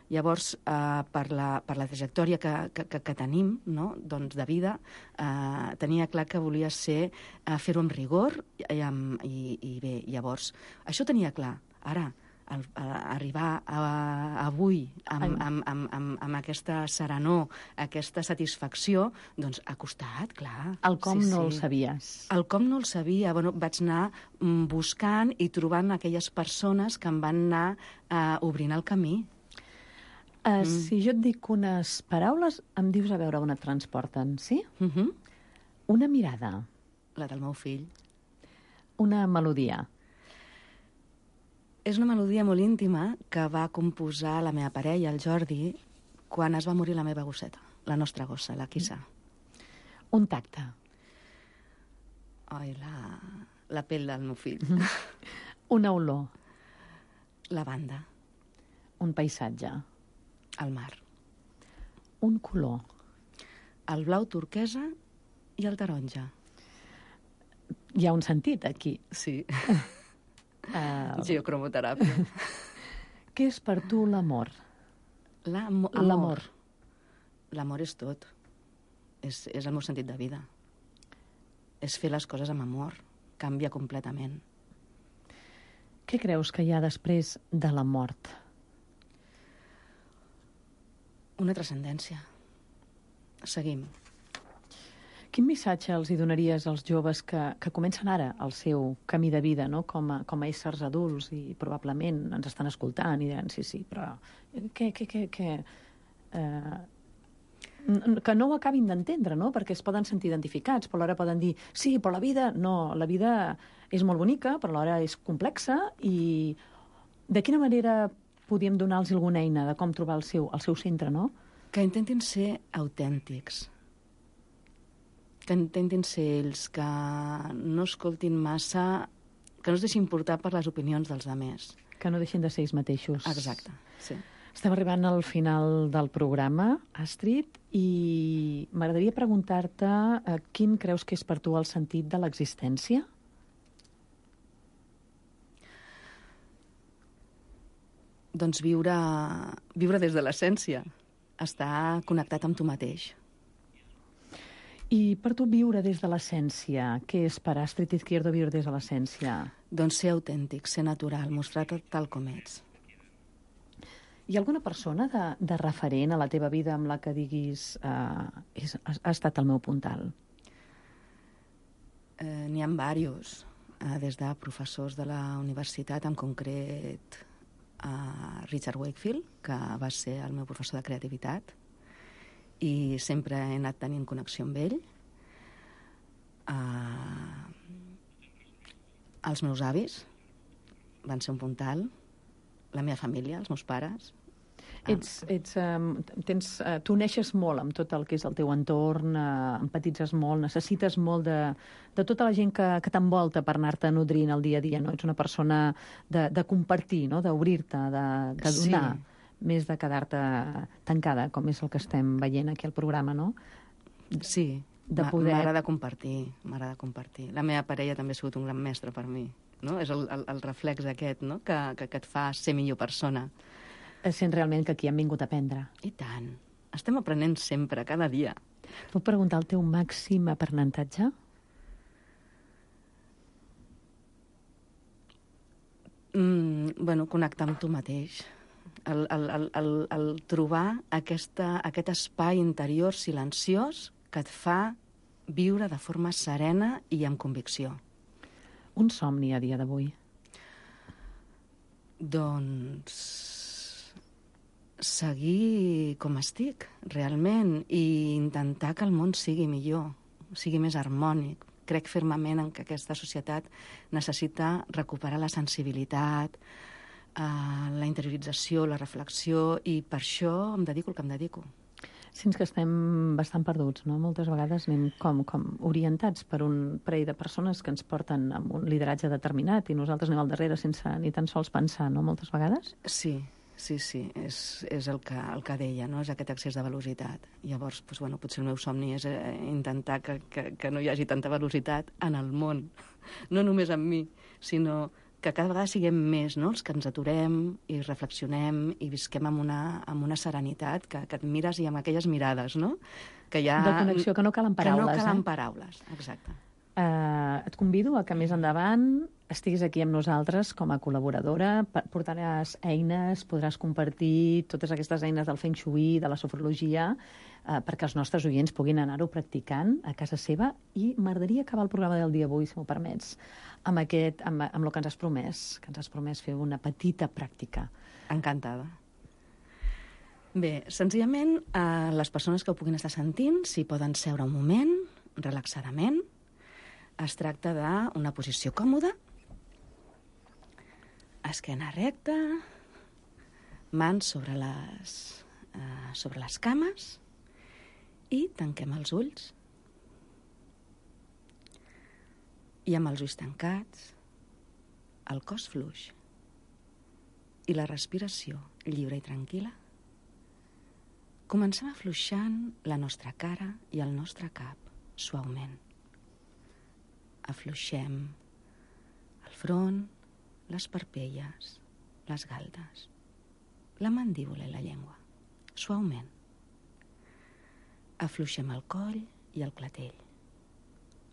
Llavors, eh, per, la, per la trajectòria que, que, que tenim, no?, doncs de vida, eh, tenia clar que volia ser eh, fer-ho amb rigor i, amb, i, i bé, llavors, això tenia clar. Ara, el, a, arribar a, a, avui amb, amb, amb, amb, amb aquesta serenor, aquesta satisfacció, doncs ha costat, clar. El com sí, no sí. el sabies? El com no el sabia. Bueno, vaig anar mm, buscant i trobant aquelles persones que em van anar eh, obrint el camí. Uh, mm. Si jo et dic unes paraules, em dius a veure on et transporten, sí? Mm -hmm. Una mirada. La del meu fill. Una melodia. És una melodia molt íntima que va composar la meva parella, el Jordi, quan es va morir la meva gosseta, la nostra gossa, la Kissa. Un tacte. Ai, la, la pell del meu fill. Una olor. La banda. Un paisatge. El mar. Un color. El blau turquesa i el taronja. Hi ha un sentit aquí. Sí. Uh, Geocromoteràpia. Què és per tu l'amor? L'amor. L'amor és tot. És, és el meu sentit de vida. És fer les coses amb amor. Canvia completament. Què creus que hi ha després de la mort? Una transcendència. Seguim. Quin missatge els hi donaries als joves que, que comencen ara el seu camí de vida, no?, com a, com a éssers adults i probablement ens estan escoltant i diran, sí, sí, però què, què, què, què... Eh, que no ho acabin d'entendre, no?, perquè es poden sentir identificats, però alhora poden dir, sí, però la vida, no, la vida és molt bonica, però alhora és complexa i de quina manera podíem donar-los alguna eina de com trobar el seu, el seu centre, no? Que intentin ser autèntics. Que intentin ser ells, que no escoltin massa, que no es deixin portar per les opinions dels altres. Que no deixin de ser ells mateixos. Exacte, sí. Estem arribant al final del programa, Astrid, i m'agradaria preguntar-te eh, quin creus que és per tu el sentit de l'existència? Doncs viure, viure des de l'essència, estar connectat amb tu mateix. I per tu viure des de l'essència, què és per Astrid Izquierdo viure des de l'essència? Doncs ser autèntic, ser natural, mostrar-te tal com ets. Hi ha alguna persona de, de referent a la teva vida amb la que diguis eh, és, ha, ha estat el meu puntal? Eh, N'hi ha diversos, eh, des de professors de la universitat, en concret a Richard Wakefield, que va ser el meu professor de creativitat, i sempre he anat tenint connexió amb ell. Uh, els meus avis van ser un puntal, la meva família, els meus pares. Ets, ets, um, tens, uh, tu neixes molt amb tot el que és el teu entorn, uh, empatitzes molt, necessites molt de, de tota la gent que, que t'envolta per anar-te nodrint el dia a dia, no? Ets una persona de, de compartir, no? D'obrir-te, de, de donar, sí. Més de quedar-te tancada, com és el que estem veient aquí al programa, no? Sí, de poder... m'agrada compartir, m'agrada compartir. La meva parella també ha sigut un gran mestre per mi, no? És el, el, el reflex aquest, no? que, que, que et fa ser millor persona. Sent realment que aquí hem vingut a aprendre. I tant. Estem aprenent sempre, cada dia. Puc preguntar el teu màxim aprenentatge? Mm, bueno, connectar amb tu mateix. El, el, el, el, el trobar aquesta, aquest espai interior silenciós que et fa viure de forma serena i amb convicció. Un somni a dia d'avui? Doncs seguir com estic, realment, i intentar que el món sigui millor, sigui més harmònic. Crec fermament en que aquesta societat necessita recuperar la sensibilitat, eh, la interiorització, la reflexió, i per això em dedico el que em dedico. Sents que estem bastant perduts, no? Moltes vegades anem com, com orientats per un parell de persones que ens porten amb un lideratge determinat i nosaltres anem al darrere sense ni tan sols pensar, no? Moltes vegades? Sí, sí, sí, és, és el, que, el que deia, no? És aquest excés de velocitat. Llavors, doncs, bueno, potser el meu somni és eh, intentar que, que, que no hi hagi tanta velocitat en el món, no només en mi, sinó que cada vegada siguem més, no?, els que ens aturem i reflexionem i visquem amb una, amb una serenitat que, que et mires i amb aquelles mirades, no? Que hi ha... De connexió, que no calen paraules. Que no calen eh? paraules, exacte. Uh, et convido a que més endavant estiguis aquí amb nosaltres com a col·laboradora, portaràs eines, podràs compartir totes aquestes eines del Feng Shui, de la sofrologia, uh, perquè els nostres oients puguin anar-ho practicant a casa seva, i m'agradaria acabar el programa del dia d'avui, si m'ho permets, amb, aquest, amb, amb el que ens has promès, que ens has promès fer una petita pràctica. Encantada. Bé, senzillament, eh, les persones que ho puguin estar sentint, si poden seure un moment, relaxadament. Es tracta d'una posició còmoda, esquena recta, mans sobre les, eh, sobre les cames, i tanquem els ulls. I amb els ulls tancats, el cos fluix i la respiració lliure i tranquil·la, comencem afluixant la nostra cara i el nostre cap suaument. Afluixem el front, les parpelles, les galtes, la mandíbula i la llengua, suaument. Afluixem el coll i el clatell,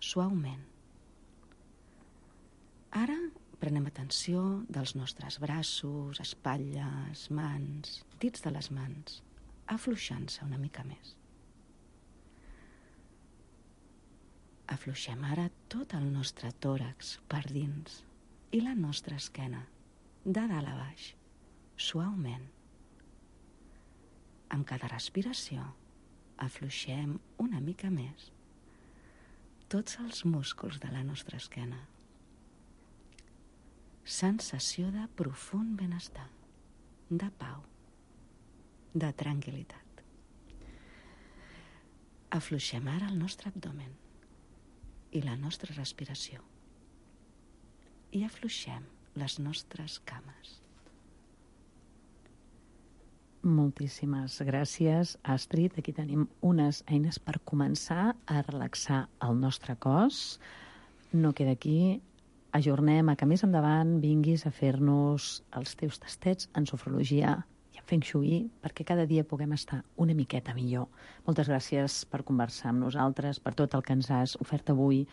suaument. Ara prenem atenció dels nostres braços, espatlles, mans, dits de les mans, afluixant-se una mica més. Afluixem ara tot el nostre tòrax per dins i la nostra esquena, de dalt a baix, suaument. Amb cada respiració afluixem una mica més tots els músculs de la nostra esquena. Sensació de profund benestar, de pau, de tranquil·litat. Afluixem ara el nostre abdomen i la nostra respiració. I afluixem les nostres cames. Moltíssimes gràcies, Astrid. Aquí tenim unes eines per començar a relaxar el nostre cos. No queda aquí. Ajornem a que més endavant vinguis a fer-nos els teus tastets en sofrologia i en Feng Shui perquè cada dia puguem estar una miqueta millor. Moltes gràcies per conversar amb nosaltres, per tot el que ens has ofert avui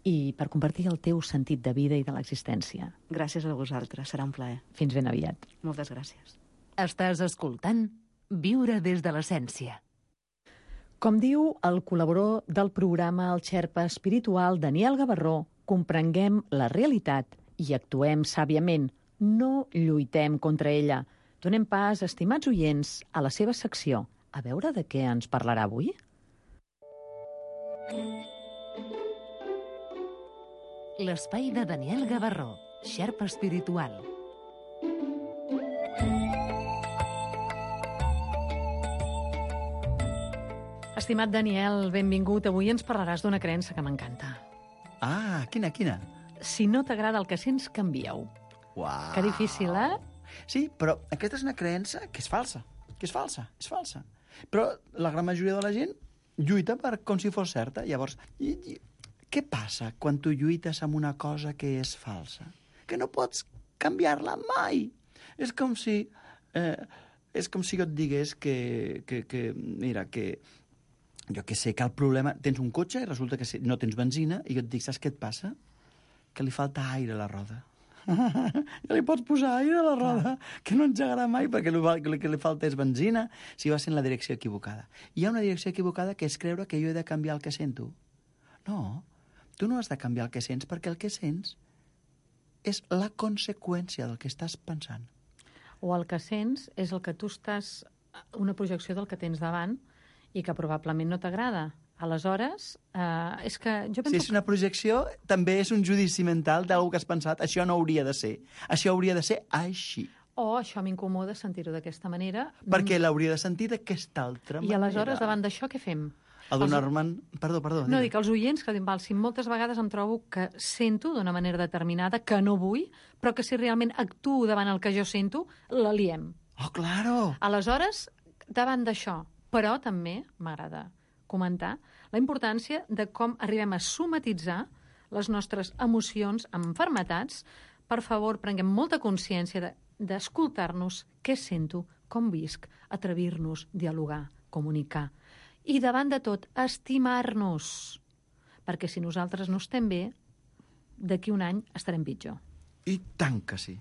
i per compartir el teu sentit de vida i de l'existència. Gràcies a vosaltres, serà un plaer. Fins ben aviat. Moltes gràcies. Estàs escoltant Viure des de l'essència. Com diu el col·laborador del programa, el xerpa espiritual Daniel Gavarró, comprenguem la realitat i actuem sàviament. No lluitem contra ella. Donem pas, estimats oients, a la seva secció. A veure de què ens parlarà avui? L'espai de Daniel Gavarró, xerpa espiritual. Estimat Daniel, benvingut. Avui ens parlaràs d'una creença que m'encanta. Ah, quina, quina? Si no t'agrada el que sents, canvia-ho. Uau. Que difícil, eh? Sí, però aquesta és una creença que és falsa. Que és falsa, és falsa. Però la gran majoria de la gent lluita per com si fos certa. Llavors, i, i, què passa quan tu lluites amb una cosa que és falsa? Que no pots canviar-la mai. És com si... Eh, és com si jo et digués que... que, que mira, que... Jo que sé que el problema... Tens un cotxe i resulta que no tens benzina i jo et dic, saps què et passa? Que li falta aire a la roda. Ja li pots posar aire a la roda, que no engegarà mai perquè el que li falta és benzina si va ser en la direcció equivocada. Hi ha una direcció equivocada que és creure que jo he de canviar el que sento. No, tu no has de canviar el que sents perquè el que sents és la conseqüència del que estàs pensant. O el que sents és el que tu estàs... una projecció del que tens davant i que probablement no t'agrada. Aleshores, eh, és que jo penso... Si és una projecció, també és un judici mental d'algú que has pensat, això no hauria de ser. Això hauria de ser així. O això m'incomoda sentir-ho d'aquesta manera. Perquè l'hauria de sentir d'aquesta altra manera. I aleshores, davant d'això, què fem? El Donorman... Perdó, perdó. No, dic, els oients, que val, si moltes vegades em trobo que sento d'una manera determinada, que no vull, però que si realment actuo davant el que jo sento, la liem. Oh, claro! Aleshores, davant d'això, però també m'agrada comentar la importància de com arribem a somatitzar les nostres emocions amb malalties. Per favor, prenguem molta consciència d'escoltar-nos, de, què sento, com visc, atrevir-nos, dialogar, comunicar. I davant de tot, estimar-nos. Perquè si nosaltres no estem bé, d'aquí un any estarem pitjor. I tant que sí.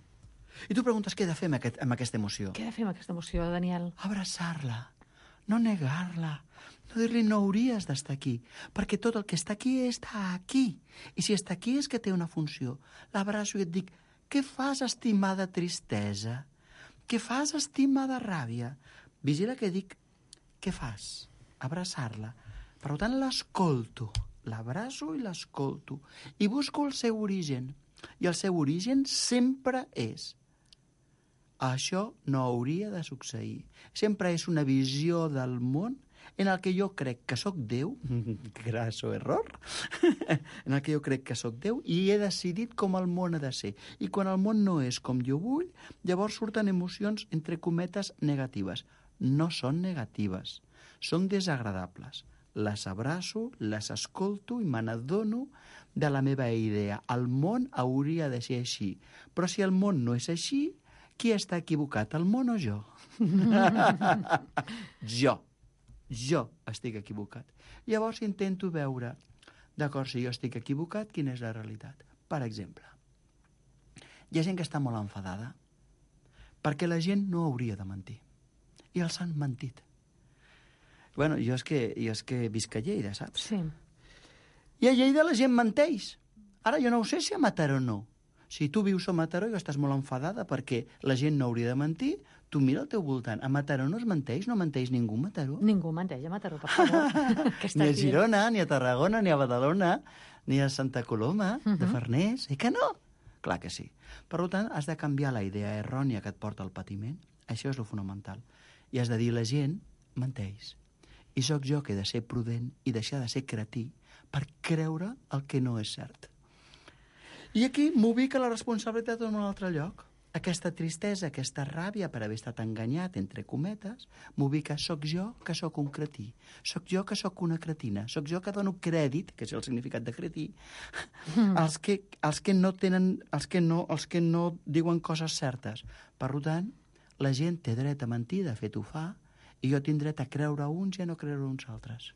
I tu preguntes què he de fer amb, aquest, amb aquesta emoció. Què he de fer amb aquesta emoció, Daniel? Abraçar-la. No negar-la, no dir-li no hauries d'estar aquí, perquè tot el que està aquí està aquí. I si està aquí és que té una funció. L'abraço i et dic, què fas, estimada tristesa? Què fas, estimada ràbia? Vigila que dic, què fas? Abraçar-la. Per tant, l'escolto, l'abraço i l'escolto. I busco el seu origen. I el seu origen sempre és: això no hauria de succeir. Sempre és una visió del món en el que jo crec que sóc Déu, grasso error, en el que jo crec que sóc Déu i he decidit com el món ha de ser. I quan el món no és com jo vull, llavors surten emocions, entre cometes, negatives. No són negatives, són desagradables. Les abraço, les escolto i me n'adono de la meva idea. El món hauria de ser així. Però si el món no és així, qui està equivocat, el món o jo? Jo. Jo estic equivocat. Llavors intento veure, d'acord, si jo estic equivocat, quina és la realitat. Per exemple, hi ha gent que està molt enfadada perquè la gent no hauria de mentir. I els han mentit. Bueno, jo és que, jo és que visc a Lleida, saps? Sí. I a Lleida la gent menteix. Ara jo no ho sé si a Mataró no. Si tu vius a Mataró i estàs molt enfadada perquè la gent no hauria de mentir, tu mira al teu voltant. A Mataró no es menteix? No menteix ningú a Mataró? Ningú menteix a Mataró, per favor. Ni a Girona, ni a Tarragona, ni a Badalona, ni a Santa Coloma, uh -huh. de Farners. Eh que no? Clar que sí. Per tant, has de canviar la idea errònia que et porta al patiment. Això és el fonamental. I has de dir, la gent menteix. I sóc jo que he de ser prudent i deixar de ser cretí per creure el que no és cert. I aquí m'ubica la responsabilitat en un altre lloc. Aquesta tristesa, aquesta ràbia per haver estat enganyat, entre cometes, m'ubica, soc jo que sóc un cretí, soc jo que sóc una cretina, soc jo que dono crèdit, que és el significat de cretí, mm. els, que, els que no tenen, els que no, els que no diuen coses certes. Per tant, la gent té dret a mentir, de fet ho fa, i jo tinc dret a creure uns i a no creure uns altres.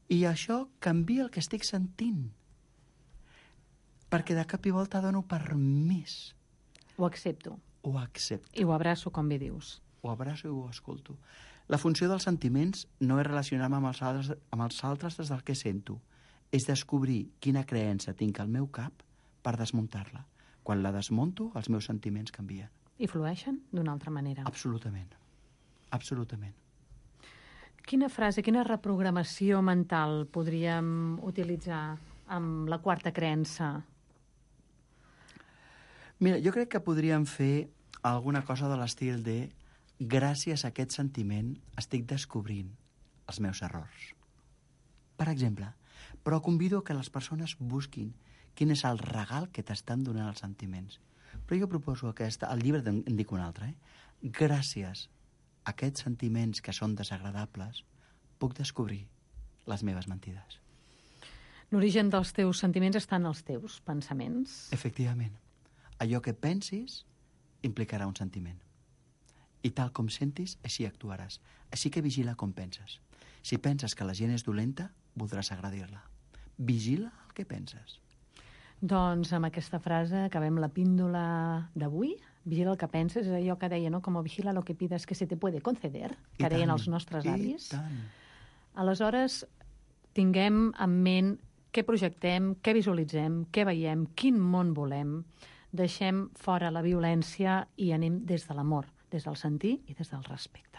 I això canvia el que estic sentint, perquè de cap i volta dono permís. Ho accepto. Ho accepto. I ho abraço, com bé dius. Ho abraço i ho escolto. La funció dels sentiments no és relacionar-me amb els altres, amb els altres des del que sento. És descobrir quina creença tinc al meu cap per desmuntar-la. Quan la desmunto, els meus sentiments canvien. I flueixen d'una altra manera. Absolutament. Absolutament. Quina frase, quina reprogramació mental podríem utilitzar amb la quarta creença? Mira, jo crec que podríem fer alguna cosa de l'estil de gràcies a aquest sentiment estic descobrint els meus errors. Per exemple, però convido que les persones busquin quin és el regal que t'estan donant els sentiments. Però jo proposo aquesta, al llibre en dic un altre, eh? Gràcies a aquests sentiments que són desagradables, puc descobrir les meves mentides. L'origen dels teus sentiments està en els teus pensaments. Efectivament. Allò que pensis implicarà un sentiment. I tal com sentis, així actuaràs. Així que vigila com penses. Si penses que la gent és dolenta, voldràs agredir-la. Vigila el que penses. Doncs amb aquesta frase acabem la píndola d'avui. Vigila el que penses, és allò que deia, no? Com vigila lo que pides que se te puede conceder, que deien els nostres avis. I tant. Aleshores, tinguem en ment què projectem, què visualitzem, què veiem, quin món volem. Deixem fora la violència i anem des de l'amor, des del sentir i des del respecte.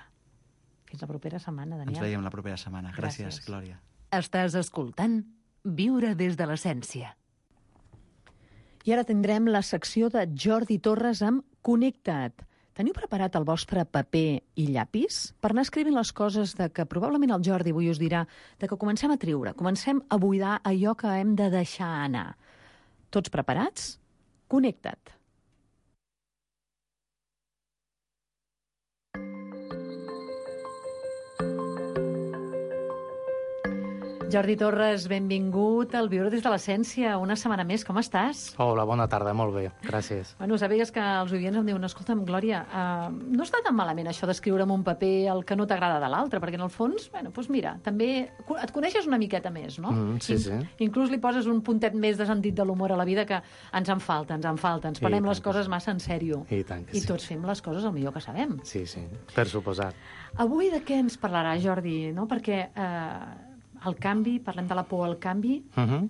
Fins la propera setmana, Daniel. Ens veiem la propera setmana. Gràcies, Gràcies. Glòria. Estàs escoltant Viure des de l'essència. I ara tindrem la secció de Jordi Torres amb Connecta't. Teniu preparat el vostre paper i llapis per anar escrivint les coses de que probablement el Jordi avui us dirà de que comencem a triure, comencem a buidar allò que hem de deixar anar. Tots preparats? Connecta't. Jordi Torres, benvingut al Viure des de l'essència. Una setmana més, com estàs? Hola, bona tarda, molt bé, gràcies. Bueno, sabies que els oients em diuen, escolta'm, Glòria, uh, no està tan malament això d'escriure en un paper el que no t'agrada de l'altre, perquè en el fons, bueno, doncs mira, també et coneixes una miqueta més, no? Mm, sí, sí. Inclús li poses un puntet més de sentit de l'humor a la vida que ens en falta, ens en falta, ens prenem les coses massa en sèrio. I tant que sí. I tots fem les coses el millor que sabem. Sí, sí, per suposat. Avui de què ens parlarà, Jordi? No? Perquè eh, el canvi, parlem de la por al canvi. Uh -huh.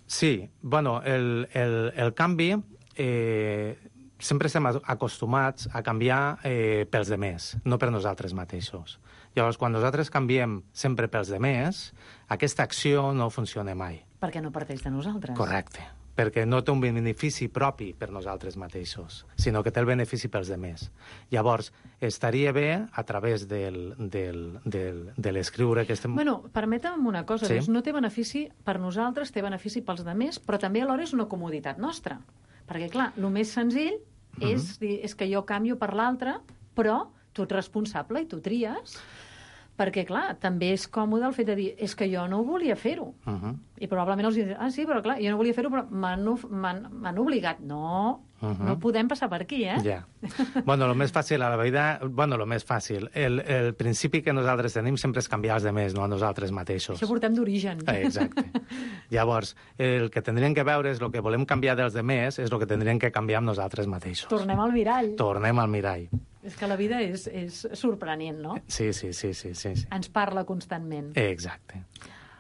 Sí, bueno, el, el, el canvi eh, sempre estem acostumats a canviar eh, pels demés, no per nosaltres mateixos. Llavors, quan nosaltres canviem sempre pels demés, aquesta acció no funciona mai. Perquè no parteix de nosaltres. Correcte, perquè no té un benefici propi per nosaltres mateixos, sinó que té el benefici pels demés. Llavors, estaria bé, a través del, del, del, de l'escriure que estem... Bueno, permetem una cosa, sí? Doncs no té benefici per nosaltres, té benefici pels demés, però també alhora és una comoditat nostra. Perquè, clar, el més senzill Mhm. és, dir, és que jo canvio per l'altre, però tu ets responsable i tu tries. Perquè, clar, també és còmode el fet de dir és que jo no volia fer-ho. Uh -huh. I probablement els diuen, ah, sí, però clar, jo no volia fer-ho, però m'han obligat. No, Uh -huh. no podem passar per aquí, eh? Ja. Bueno, el més fàcil a la vida... Bueno, el més fàcil. El, el principi que nosaltres tenim sempre és canviar els demés, no a nosaltres mateixos. Això portem d'origen. Eh, exacte. Llavors, el que tindríem que veure és el que volem canviar dels demés, és el que tindríem que canviar amb nosaltres mateixos. Tornem al mirall. Tornem al mirall. És que la vida és, és sorprenent, no? Sí, sí, sí, sí, sí, sí. Ens parla constantment. Exacte.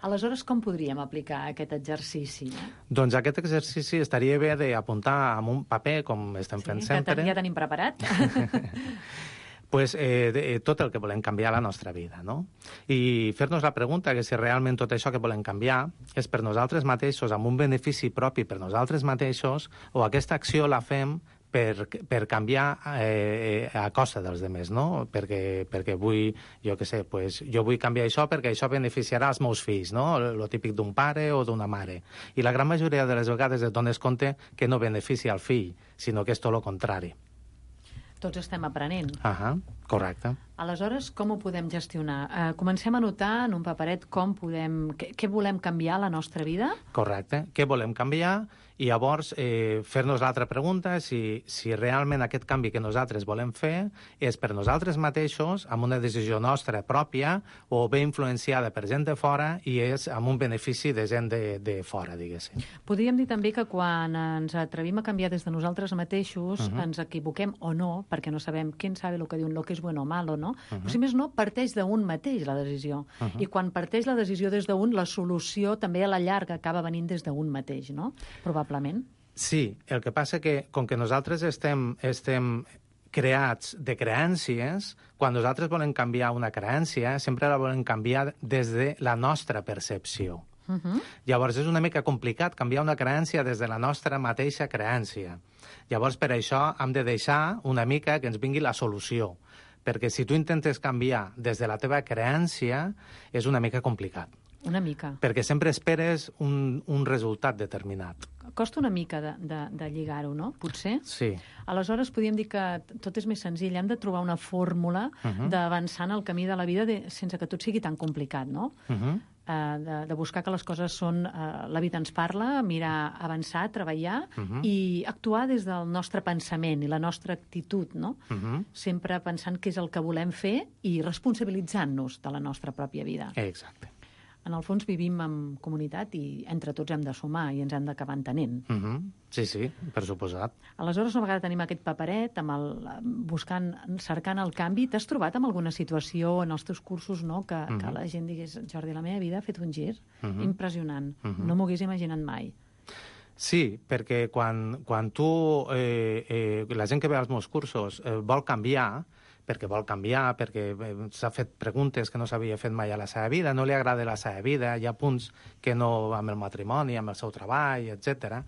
Aleshores, com podríem aplicar aquest exercici? Doncs aquest exercici estaria bé d'apuntar amb un paper, com estem fent Sí, sempre. que ja tenim preparat. pues, eh, de, tot el que volem canviar a la nostra vida, no? I fer-nos la pregunta que si realment tot això que volem canviar és per nosaltres mateixos, amb un benefici propi per nosaltres mateixos, o aquesta acció la fem per, per canviar eh, a costa dels demés, no? Perquè, perquè vull, jo què sé, pues, jo vull canviar això perquè això beneficiarà els meus fills, no? Lo típic d'un pare o d'una mare. I la gran majoria de les vegades et dones compte que no beneficia el fill, sinó que és tot el contrari. Tots estem aprenent. Ahà, correcte. Aleshores, com ho podem gestionar? Uh, comencem a notar en un paperet com podem... Què, què volem canviar a la nostra vida? Correcte. Què volem canviar? I llavors eh, fer-nos l'altra pregunta, si, si realment aquest canvi que nosaltres volem fer és per nosaltres mateixos, amb una decisió nostra pròpia, o bé influenciada per gent de fora i és amb un benefici de gent de, de fora, diguéssim. Podríem dir també que quan ens atrevim a canviar des de nosaltres mateixos, Uh-huh. ens equivoquem o no, perquè no sabem quién sabe lo que diuen, lo que és bueno o malo, no? Uh-huh. Però si més no, parteix d'un mateix la decisió. Uh-huh. I quan parteix la decisió des d'un, la solució també a la llarga acaba venint des d'un mateix, no? Probablement. Sí, el que passa que, com que nosaltres estem, estem creats de creències, quan nosaltres volem canviar una creència, sempre la volem canviar des de la nostra percepció. Uh-huh. Llavors, és una mica complicat canviar una creència des de la nostra mateixa creència. Llavors, per això, hem de deixar una mica que ens vingui la solució. Perquè si tu intentes canviar des de la teva creència, és una mica complicat. Una mica. Perquè sempre esperes un, un resultat determinat. Costa una mica de, de, de lligar-ho, no? Potser? Sí. Aleshores, podríem dir que tot és més senzill. Hem de trobar una fórmula Uh-huh. d'avançar en el camí de la vida de, sense que tot sigui tan complicat, no? Uh-huh. Uh, de, de buscar que les coses són... Uh, la vida ens parla, mirar, avançar, treballar Uh-huh. i actuar des del nostre pensament i la nostra actitud, no? Uh-huh. Sempre pensant què és el que volem fer i responsabilitzant-nos de la nostra pròpia vida. Exacte. En el fons vivim en comunitat i entre tots hem de sumar i ens hem d'acabar entenent. Uh-huh. Sí, sí, per suposat. Aleshores, una vegada tenim aquest paperet, amb el, buscant, cercant el canvi, t'has trobat amb alguna situació en els teus cursos, no?, que, uh-huh. que la gent digués, Jordi, la meva vida ha fet un gir Uh-huh. impressionant, Uh-huh. no m'ho hagués imaginat mai. Sí, perquè quan, quan tu, eh, eh, la gent que ve als meus cursos eh, vol canviar, perquè vol canviar, perquè eh, s'ha fet preguntes que no s'havia fet mai a la seva vida, no li agrada la seva vida, hi ha punts que no amb el matrimoni, amb el seu treball, etcètera.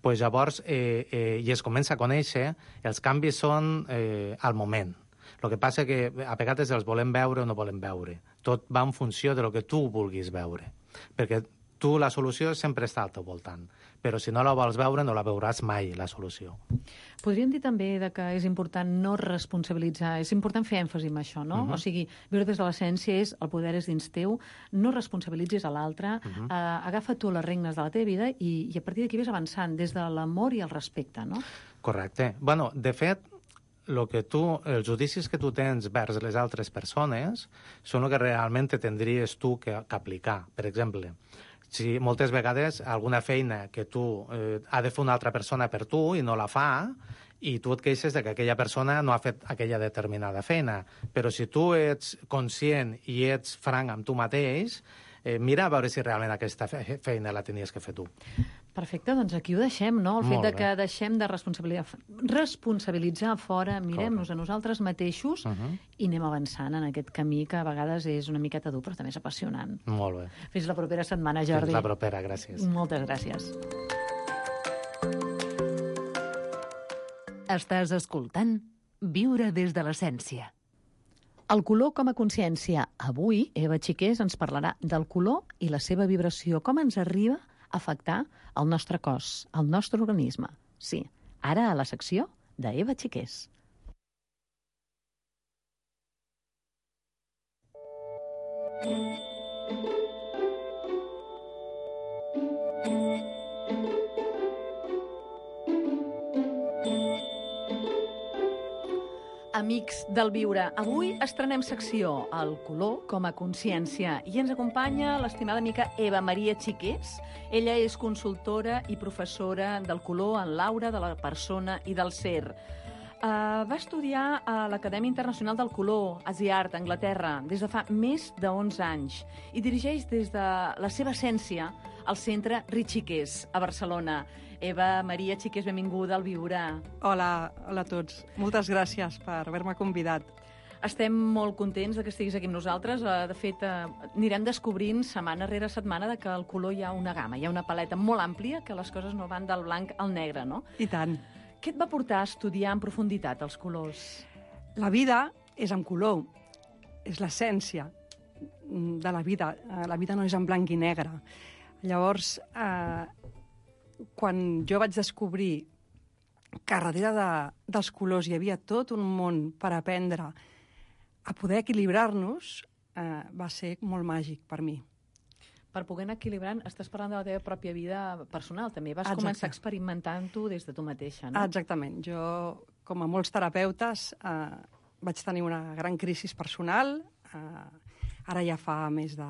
Pues llavors, eh, eh, i es comença a conèixer, els canvis són eh, al moment. El que passa que a vegades els volem veure o no volem veure. Tot va en funció de lo que tu vulguis veure. Perquè tu la solució sempre està al teu voltant, però si no la vols veure no la veuràs mai, la solució. Podríem dir també de que és important no responsabilitzar, és important fer èmfasi en això, no? Uh-huh. O sigui, viure des de l'essència és el poder és dins teu, no responsabilitzis a l'altre, Uh-huh. eh, agafa tu les regnes de la teva vida i, i a partir d'aquí ves avançant des de l'amor i el respecte, no? Correcte. Bueno, de fet, lo que tu, els judicis que tu tens vers les altres persones són el que realment te tindries tu que, que aplicar. Per exemple, si moltes vegades alguna feina que tu eh, ha de fer una altra persona per tu i no la fa, i tu et queixes de que aquella persona no ha fet aquella determinada feina. Però si tu ets conscient i ets franc amb tu mateix, eh, mira a veure si realment aquesta fe feina la tenies que fer tu. Perfecte, doncs aquí ho deixem, no? El Molt fet de bé. que deixem de responsabilitzar, responsabilitzar fora, mirem-nos a nosaltres mateixos Uh-huh. i anem avançant en aquest camí que a vegades és una miqueta dur, però també és apassionant. Molt bé. Fins la propera setmana, Jordi. Fins la propera, gràcies. Moltes gràcies. Estàs escoltant Viure des de l'essència. El color com a consciència. Avui, Eva Xiqués ens parlarà del color i la seva vibració, com ens arriba a afectar el nostre cos, el nostre organisme. Sí, ara a la secció d'Eva Xiqués. Amics del Viure, avui estrenem secció El color com a consciència i ens acompanya l'estimada amiga Eva Maria Xiqués. Ella és consultora i professora del color en l'aura de la persona i del ser. Uh, va estudiar a l'Acadèmia Internacional del Color, a Ziart, a Anglaterra, des de fa més de onze anys i dirigeix des de la seva essència al centre Xiqués, a Barcelona. Eva Maria Xiqués, benvinguda al Viure. Hola, hola a tots. Moltes gràcies per haver-me convidat. Estem molt contents de que estiguis aquí amb nosaltres. De fet, anirem descobrint setmana rere setmana de que al color hi ha una gamma, hi ha una paleta molt àmplia, que les coses no van del blanc al negre, no? I tant. Què et va portar a estudiar en profunditat els colors? La vida és en color, és l'essència de la vida. La vida no és en blanc i negre. Llavors, eh, quan jo vaig descobrir que darrere de, dels colors hi havia tot un món per aprendre a poder equilibrar-nos, eh, va ser molt màgic per mi. Per poder anar equilibrant, estàs parlant de la teva pròpia vida personal, també. Vas Exacte. començar experimentant-ho des de tu mateixa, no? Exactament. Jo, com a molts terapeutes, eh, vaig tenir una gran crisi personal. Eh, ara ja fa més de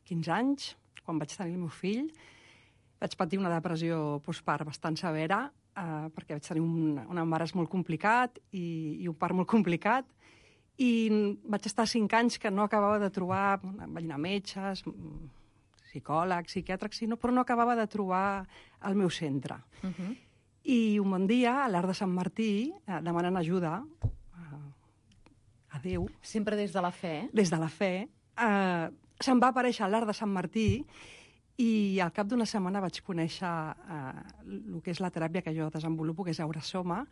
quinze anys, quan vaig tenir el meu fill. Vaig patir una depressió postpart bastant severa, eh, perquè vaig tenir un, un embaràs molt complicat i, i un part molt complicat. I vaig estar cinc anys que no acabava de trobar, vaig anar a metges, psicòlegs, psiquiàtrics, sinó, però no acabava de trobar el meu centre. Uh -huh. I un bon dia, a l'Arc de Sant Martí, eh, demanant ajuda a, a Déu... Sempre des de la fe. Des de la fe. Eh, se'm va aparèixer a l'Arc de Sant Martí i al cap d'una setmana vaig conèixer eh, el que és la teràpia que jo desenvolupo, que és Aurasoma,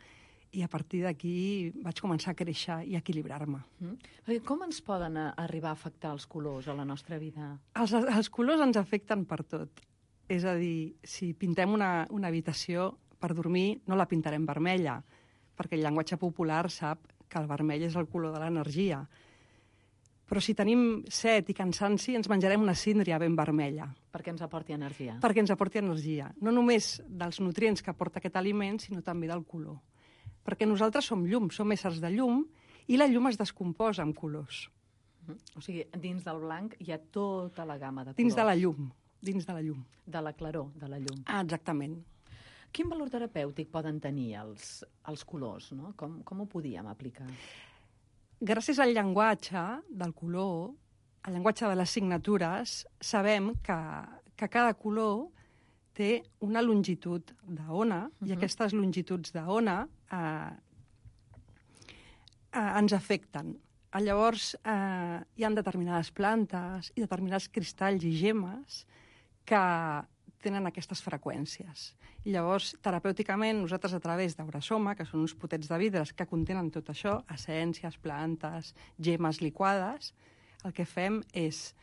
i a partir d'aquí vaig començar a créixer i a equilibrar-me. Mm. Com ens poden arribar a afectar els colors a la nostra vida? Els, els colors ens afecten per tot. És a dir, si pintem una, una habitació per dormir, no la pintarem vermella, perquè el llenguatge popular sap que el vermell és el color de l'energia. Però si tenim set i cansanci, ens menjarem una síndria ben vermella. Perquè ens aporti energia. Perquè ens aporti energia. No només dels nutrients que aporta aquest aliment, sinó també del color. Perquè nosaltres som llum, som éssers de llum, i la llum es descomposa amb colors. Uh -huh. O sigui, dins del blanc hi ha tota la gamma de colors. Dins de la llum, dins de la llum. De la claror, de la llum. Ah, exactament. Quin valor terapèutic poden tenir els, els colors, no? Com, com ho podíem aplicar? Gràcies al llenguatge del color, al llenguatge de les signatures, sabem que, que cada color té una longitud d'ona, uh-huh. i aquestes longituds d'ona eh, eh, ens afecten. Llavors, eh, hi ha determinades plantes i determinats cristalls i gemmes que tenen aquestes freqüències. I llavors, terapèuticament, nosaltres a través d'Aurasoma, que són uns potets de vidres que contenen tot això, essències, plantes, gemmes liquades, el que fem és,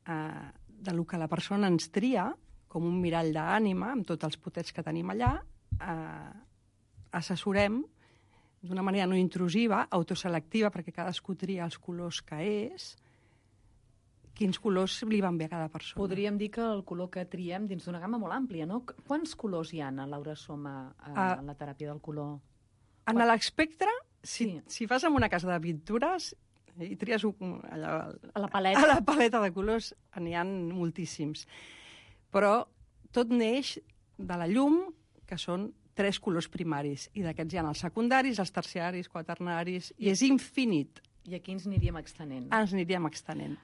eh, de lo que la persona ens tria, com un mirall d'ànima, amb tots els potets que tenim allà, eh, assessorem d'una manera no intrusiva, autoselectiva, perquè cadascú tria els colors que és, quins colors li van bé a cada persona. Podríem dir que el color que triem dins d'una gamma molt àmplia, no? Quants colors hi ha a Aurasoma, a, uh, en la teràpia del color? En l'espectre, si, sí. si vas a una casa de pintures i tries un, allà, a la paleta, a la paleta de colors, n'hi ha moltíssims. Però tot neix de la llum, que són tres colors primaris, i d'aquests hi ha els secundaris, els terciaris, quaternaris, i és infinit. I aquí ens aniríem extenent. Ens aniríem extenent.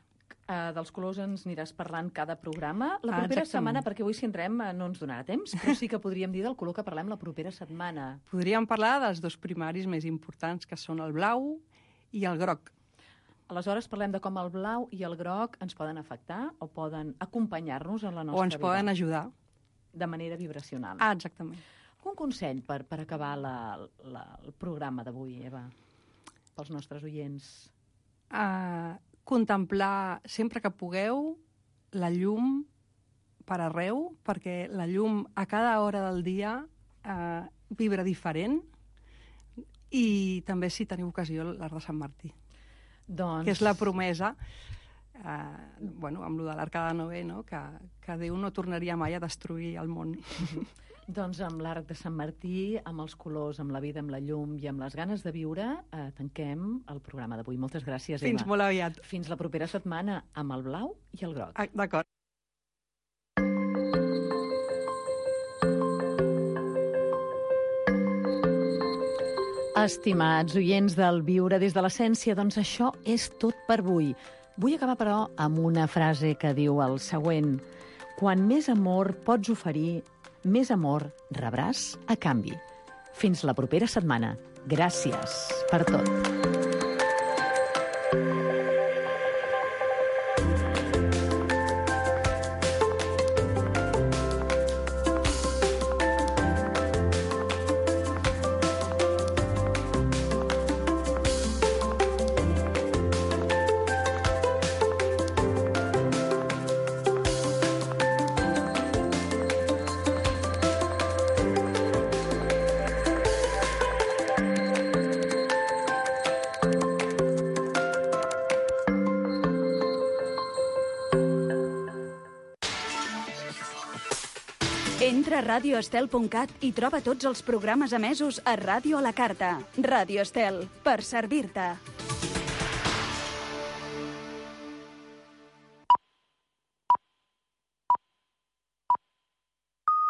Uh, dels colors ens aniràs parlant cada programa. La propera ah, setmana, perquè avui si entrem no ens donarà temps, però sí que podríem dir del color que parlem la propera setmana. Podríem parlar dels dos primaris més importants, que són el blau i el groc. Aleshores, parlem de com el blau i el groc ens poden afectar o poden acompanyar-nos en la nostra vida. O ens vida. Poden ajudar. De manera vibracional. Ah, exactament. Un consell per, per acabar la, la, el programa d'avui, Eva, pels nostres oients? Uh, contemplar sempre que pugueu la llum per arreu, perquè la llum a cada hora del dia uh, vibra diferent, i també, si teniu ocasió, l'Arc de Sant Martí. Doncs... Que és la promesa, eh, bueno, amb lo de l'Arca de Noé, no? que, que Déu no tornaria mai a destruir el món. Doncs amb l'Arc de Sant Martí, amb els colors, amb la vida, amb la llum i amb les ganes de viure, eh, tanquem el programa d'avui. Moltes gràcies, Eva. Fins molt aviat. Fins la propera setmana amb el blau i el groc. Ah, d'acord. Estimats oients del Viure des de l'Essència, doncs això és tot per avui. Vull acabar, però, amb una frase que diu el següent: quan més amor pots oferir, més amor rebràs a canvi. Fins la propera setmana. Gràcies per tot. Entra a radio estel punt cat i troba tots els programes emesos a Ràdio a la Carta. Ràdio Estel, per servir-te.